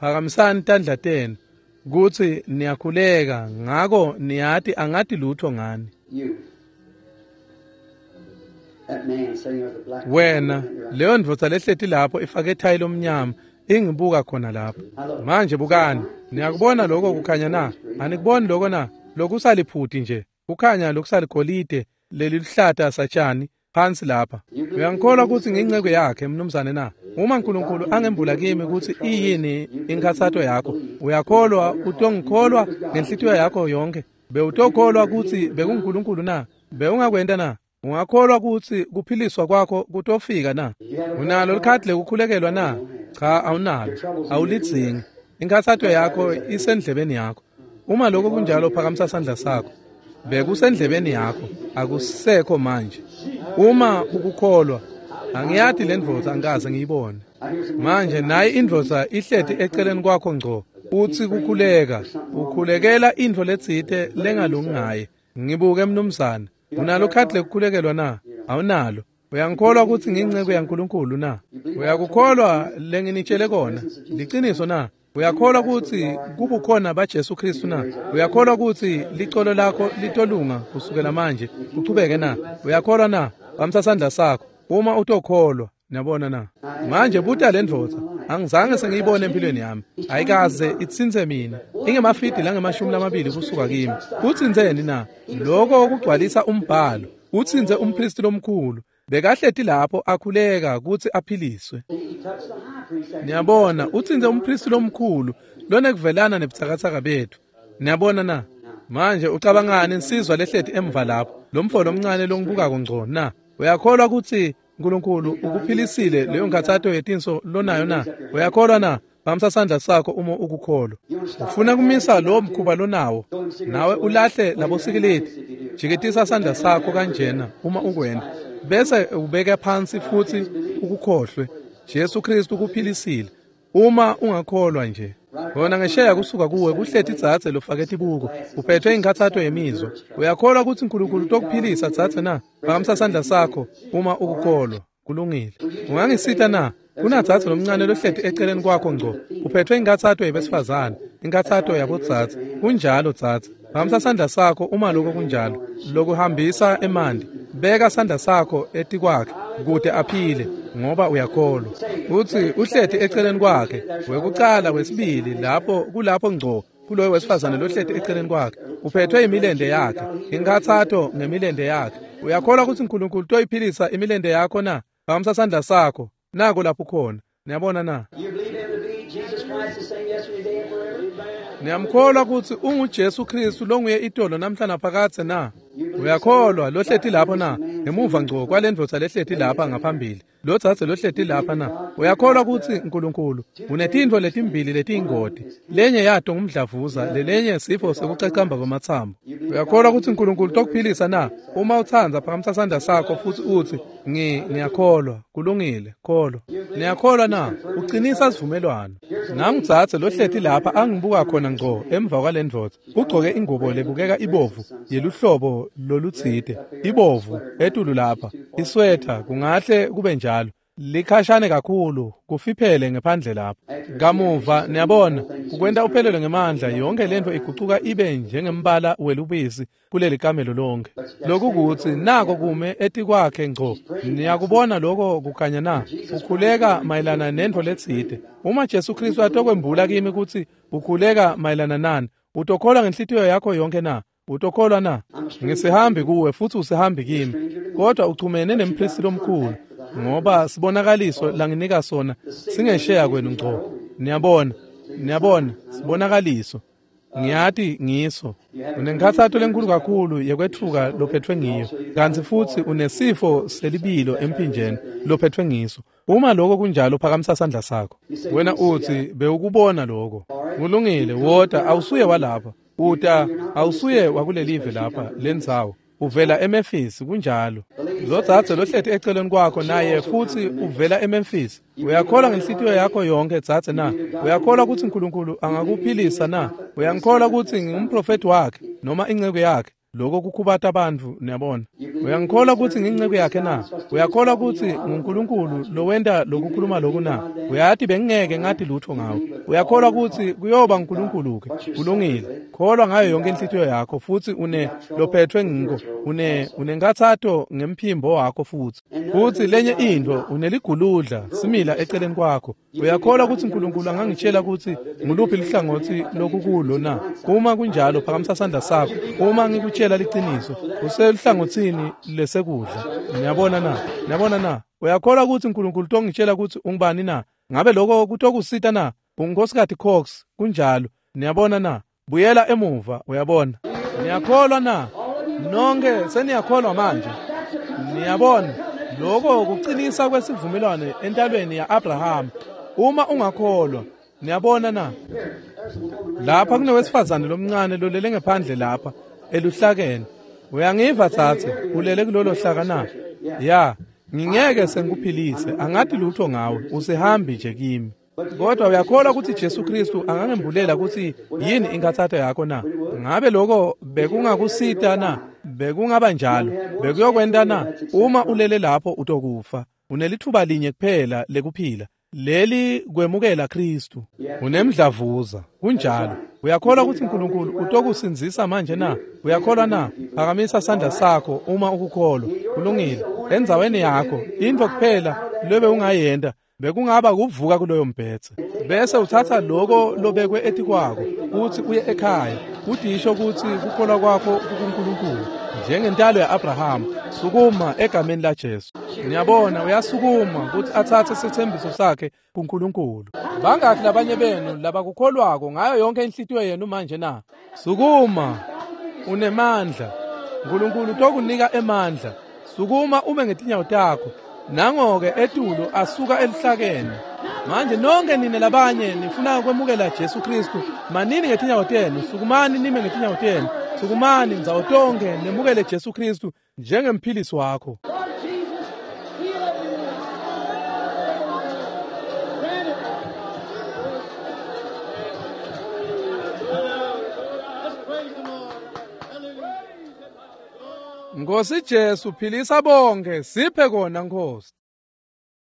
Phakamisani tandla tenu kuthi niyakhuleka, ngako niyati angathi lutho ngani. Wena leyo ndvodza lehleti lapho ifake ithayi lomnyama ingibuka khona lapho. Manje bukani, niyakubona lokho kukhanya na? Anikuboni lokho na? Lokusaliphuti nje, kukhanya lokusaligolide leliluhlata satshani phansi lapha. Uyangikholwa ukuthi nginceke yakhe mnumzane na? Uma uNkulunkulu angembula kimi ukuthi iyini inkhathato yakho, uyakholwa utongikholwa ngenhlitiyo yakho yonke? Bewutokholwa ukuthi bekunguNkulunkulu na? Bewungakwenta na? Ungakholwa ukuthi kuphiliswa kwakho kutofika na? Unalo likhadi lekukhulekelwa na? Cha, awunalo. Awulidzingi. Inkhathato yakho isendlebeni yakho. Uma lokho kunjalo, phakamisa sandla sakho. Bekusendlebeni yakho, akusekho manje. Uma ukukholwa, angiyati le ndvodza, angikaze ngiyibone. Manje nayi indvodza ihleti eceleni kwakho ngco, uthi kukhuleka, ukhulekela intfo letsite lengalungi ngaye. Ngibuke mnumzane, unalo khadi lekukhulekelwa na? Awunalo. Uyangikholwa ukuthi nginceke yaNkulunkulu na? Uyakukholwa lenginitshele kona? Liciniso na? Uyakholwa ukuthi kubukhona baJesu Kristu na? Uyakholwa ukuthi licolo lakho litolunga kusukela manje kuchubeke na? Uyakholwa na? Bamsa sandla sakho uma utokholwa. Niyabona na? Manje buta le ndvodza, angizange sengiyibone empilweni yami, ayikaze itsintse mina, ingemafidi langemashumi lamabili kusuka kimi. Utsintseni na? Lokho kugcwalisa umbhalo. Utsintse umpristi lomkhulu, bekahleti lapho akhuleka ukuthi aphiliswe. Niyabona, utsintse umpristi lomkhulu lonekuvelana nebutsakatsaka bethu. Niyabona na? Manje ucabangani insizwa lehleti emva lapho, lo mfo lomncane longibukako ngco na? Uyakholwa ukuthi uNkulunkulu ukuphilisile leyo nkhathato yetinso lonayo na? Uyakholwa na? Phamisa sandla sakho uma ukukholwa. Ufuna kumisa lo mkhuba lonawo, nawe ulahle labo sikileti. Jikitisa sandla sakho kanjena uma ukwenda, bese ubeka phansi futhi ukukhohlwe. Jesu Kristu ukuphilisile uma ungakholwa nje. Bona ngesheya kusuka kuwe kuhleti dzadze lofake tibuko, uphethwe inkhathato yemizwa. Uyakholwa ukuthi uNkulunkulu utokuphilisa dzadze na? Phakamisa sandla sakho uma ukukholwa. Kulungile. Ungangisita na? Kunadzadze lomncane lohleti eceleni kwakho ngco, uphethwe inkhathato yebesifazane, inkhathato yabodzadze. Kunjalo dzadze. Phakamisa sandla sakho uma lokho kunjalo. Lokuhambisa emanti. Beka sandla sakho etikwakhe kute aphile, ngoba uyakholwa. Utsi uhleti eceleni kwakhe, wekucala wesibili lapho kulapho ngco kuloyo wesifazane lohleti eceleni kwakhe. Uphethwe imilente yakhe, inkhatsato ngemilente yakhe. Uyakholwa kutsi uNkulunkulu utoyiphilisa imilente yakho na? Phakamisa sandla sakho. Nako lapho khona. Niyabona na? Niyamkholwa kutsi unguJesu Kristu longuye itolo namhla naphakadze na? Uyakholwa lohleti lapho na? Ngemuva ngco kwalendvodza lehleti lapha ngaphambili, lodzadze lohleti lapha na? Uyakholwa kutsi uNkulunkulu unetintfo letimbili letiyingoti, lenye yato ngumdlavuza, lelenye sifo sekucacamba kwamatsambo. Uyakholwa kutsi uNkulunkulu utokuphilisa na? Uma utsandza phakamisa sandla sakho futsi utsi ngi ngiyakholwa. Kulungile, kholwa. Niyakholwa na? Ucinisa sivumelwano. Nangudzadze lohleti lapha angibuka khona ngco emva kwalendvodza, ugcoke ingubo lebukeka ibovu yeluhlobo lolutsite, ibovu etulu lapha, iswetha kungahle kube njalo, likhashane kakhulu, kufiphele ngephandle lapha. Kamuva niyabona, kukwenta uphelelwe ngemandla, yonke lento igucuka ibe njengembala welubisi kuleli kamelo lonke. Lokukutsi nako kume etikwakhe ngco. Niyakubona lokho kukhanya na? Ukhuleka mayelana nento letsite. Uma Jesu Kristu atokwembula kimi kutsi ukhuleka mayelana nani, utokholwa ngenhlitiyo yakho yonke na? Utokholwa na? Ngisihambi kuwe futhi usihambi kimi, kodwa uchumene nempristi lomkhulu, ngoba sibonakaliso langinika sona singesheya kwenu ngco. Niyabona, niyabona, sibonakaliso. Ngiyati ngiso. Unenkhatsato lenkulu kakhulu yekwetfuka lophethwe ngiyo, kantsi futsi unesifo selibilo emphinjeni lophethwe ngiso. Uma lokho kunjalo phakamisa sandla sakho. Wena utsi bewukubona lokho. Kulungile, wota, awusuye walapha. Uta awusuye wakulelive lapha lendzawo. Uvela eMemphis, kunjalo. Lodzadze lohleti eceleni kwakho naye futsi uvela eMemphis. Uyakholwa ngenhlitiyo yakho yonke dzadze na? Uyakholwa kutsi uNkulunkulu angakuphilisa na? Uyangikholwa kutsi ngingumprofeti wakhe noma inceku yakhe? Lokho kukhubata abantu, niyabona. Uyangikholwa kutsi ngiyinceku yakhe na? Uyakholwa kutsi nguNkulunkulu lowenta lokukhuluma loku na? Uyati bengingeke ngati lutho ngawe. Uyakholwa kutsi kuyoba nguNkulunkulu ke? Kulungile. Kholwa ngayo yonke inhlitiyo yakho futsi une lophethwe ngiko, une unenkhatsato ngemphimbo wakho futsi. Futsi lenye intfo uneliguludla simila eceleni kwakho. Uyakholwa kutsi uNkulunkulu angangitshela kutsi nguluphi luhlangotsi lokukulo na? Uma kunjalo phakamisa sandla sakho. Uma ngikutshela liciniso, useluhlangotsini lesekudla. Niyabona na? Niyabona na? Uyakholwa kutsi uNkulunkulu utongitshela kutsi ungubani na? Ngabe lokho kutokusita na? Ungunkosikazi Cox, kunjalo. Niyabona na? Buyela emuva, uyabona. Niyakholwa na? Nonke seniyakholwa manje. Niyabona, lokho kucinisa kwesivumelwano entalweni ya-Abraham. Uma ungakholwa, niyabona na? Lapha kunowesifazane lomncane lolele ngephandle lapha eluhlakeni. Uyangiva tsatse, ulele kulolo hlaka na? Ya, ngingeke sengikuphilise, angati lutho ngawe, usihambi nje kimi. Kodwa uyakholwa kutsi Jesu Kristu angangembulela kutsi yini inkhatsato yakho na? Ngabe lokho bekungakusita na? Bekungaba njalo? Bekuyokwenta na? Uma ulele lapho utokufa. Unelithuba linye kuphela lekuphila, leli kwemukela Kristu. Unemdlavuza, kunjalo. Uyakholwa kutsi uNkulunkulu utokusindzisa manje na? Uyakholwa na? Phakamisa sandla sakho uma ukukholwa. Kulungile. Endzaweni yakho, intfo kuphela lobe ungayenta bekungaba kuvuka kuloyo mbhedze, bese uthatha loko lobekwe etikwako uthi uye ekhaya, udisho kutsi kukholwa kwakho kuNkulunkulu njengentalo ya-Abraham. Sukuma egameni laJesu. Niyabona, uyasukuma kutsi atsatse sithembiso sakhe kuNkulunkulu. Bangakhi labanye benu labakukholwako ngayo yonke inhlitiyo yenu manje na? Sukuma, unemandla. uNkulunkulu utokunika emandla. Sukuma ume ngetinyawo takho. Nangoke etulu asuka elihlakeni. Manje nonke nine labanye nifuna kwemukela Jesu Kristu, manini ngetinyawo tenu, sukumani nime ngetinyawo tenu. Sukumani ndzawo tonke nemukele Jesu Kristu njengemphilisi wakho. Nkosi Jesu, philisa bonke, siphe kona Nkosi.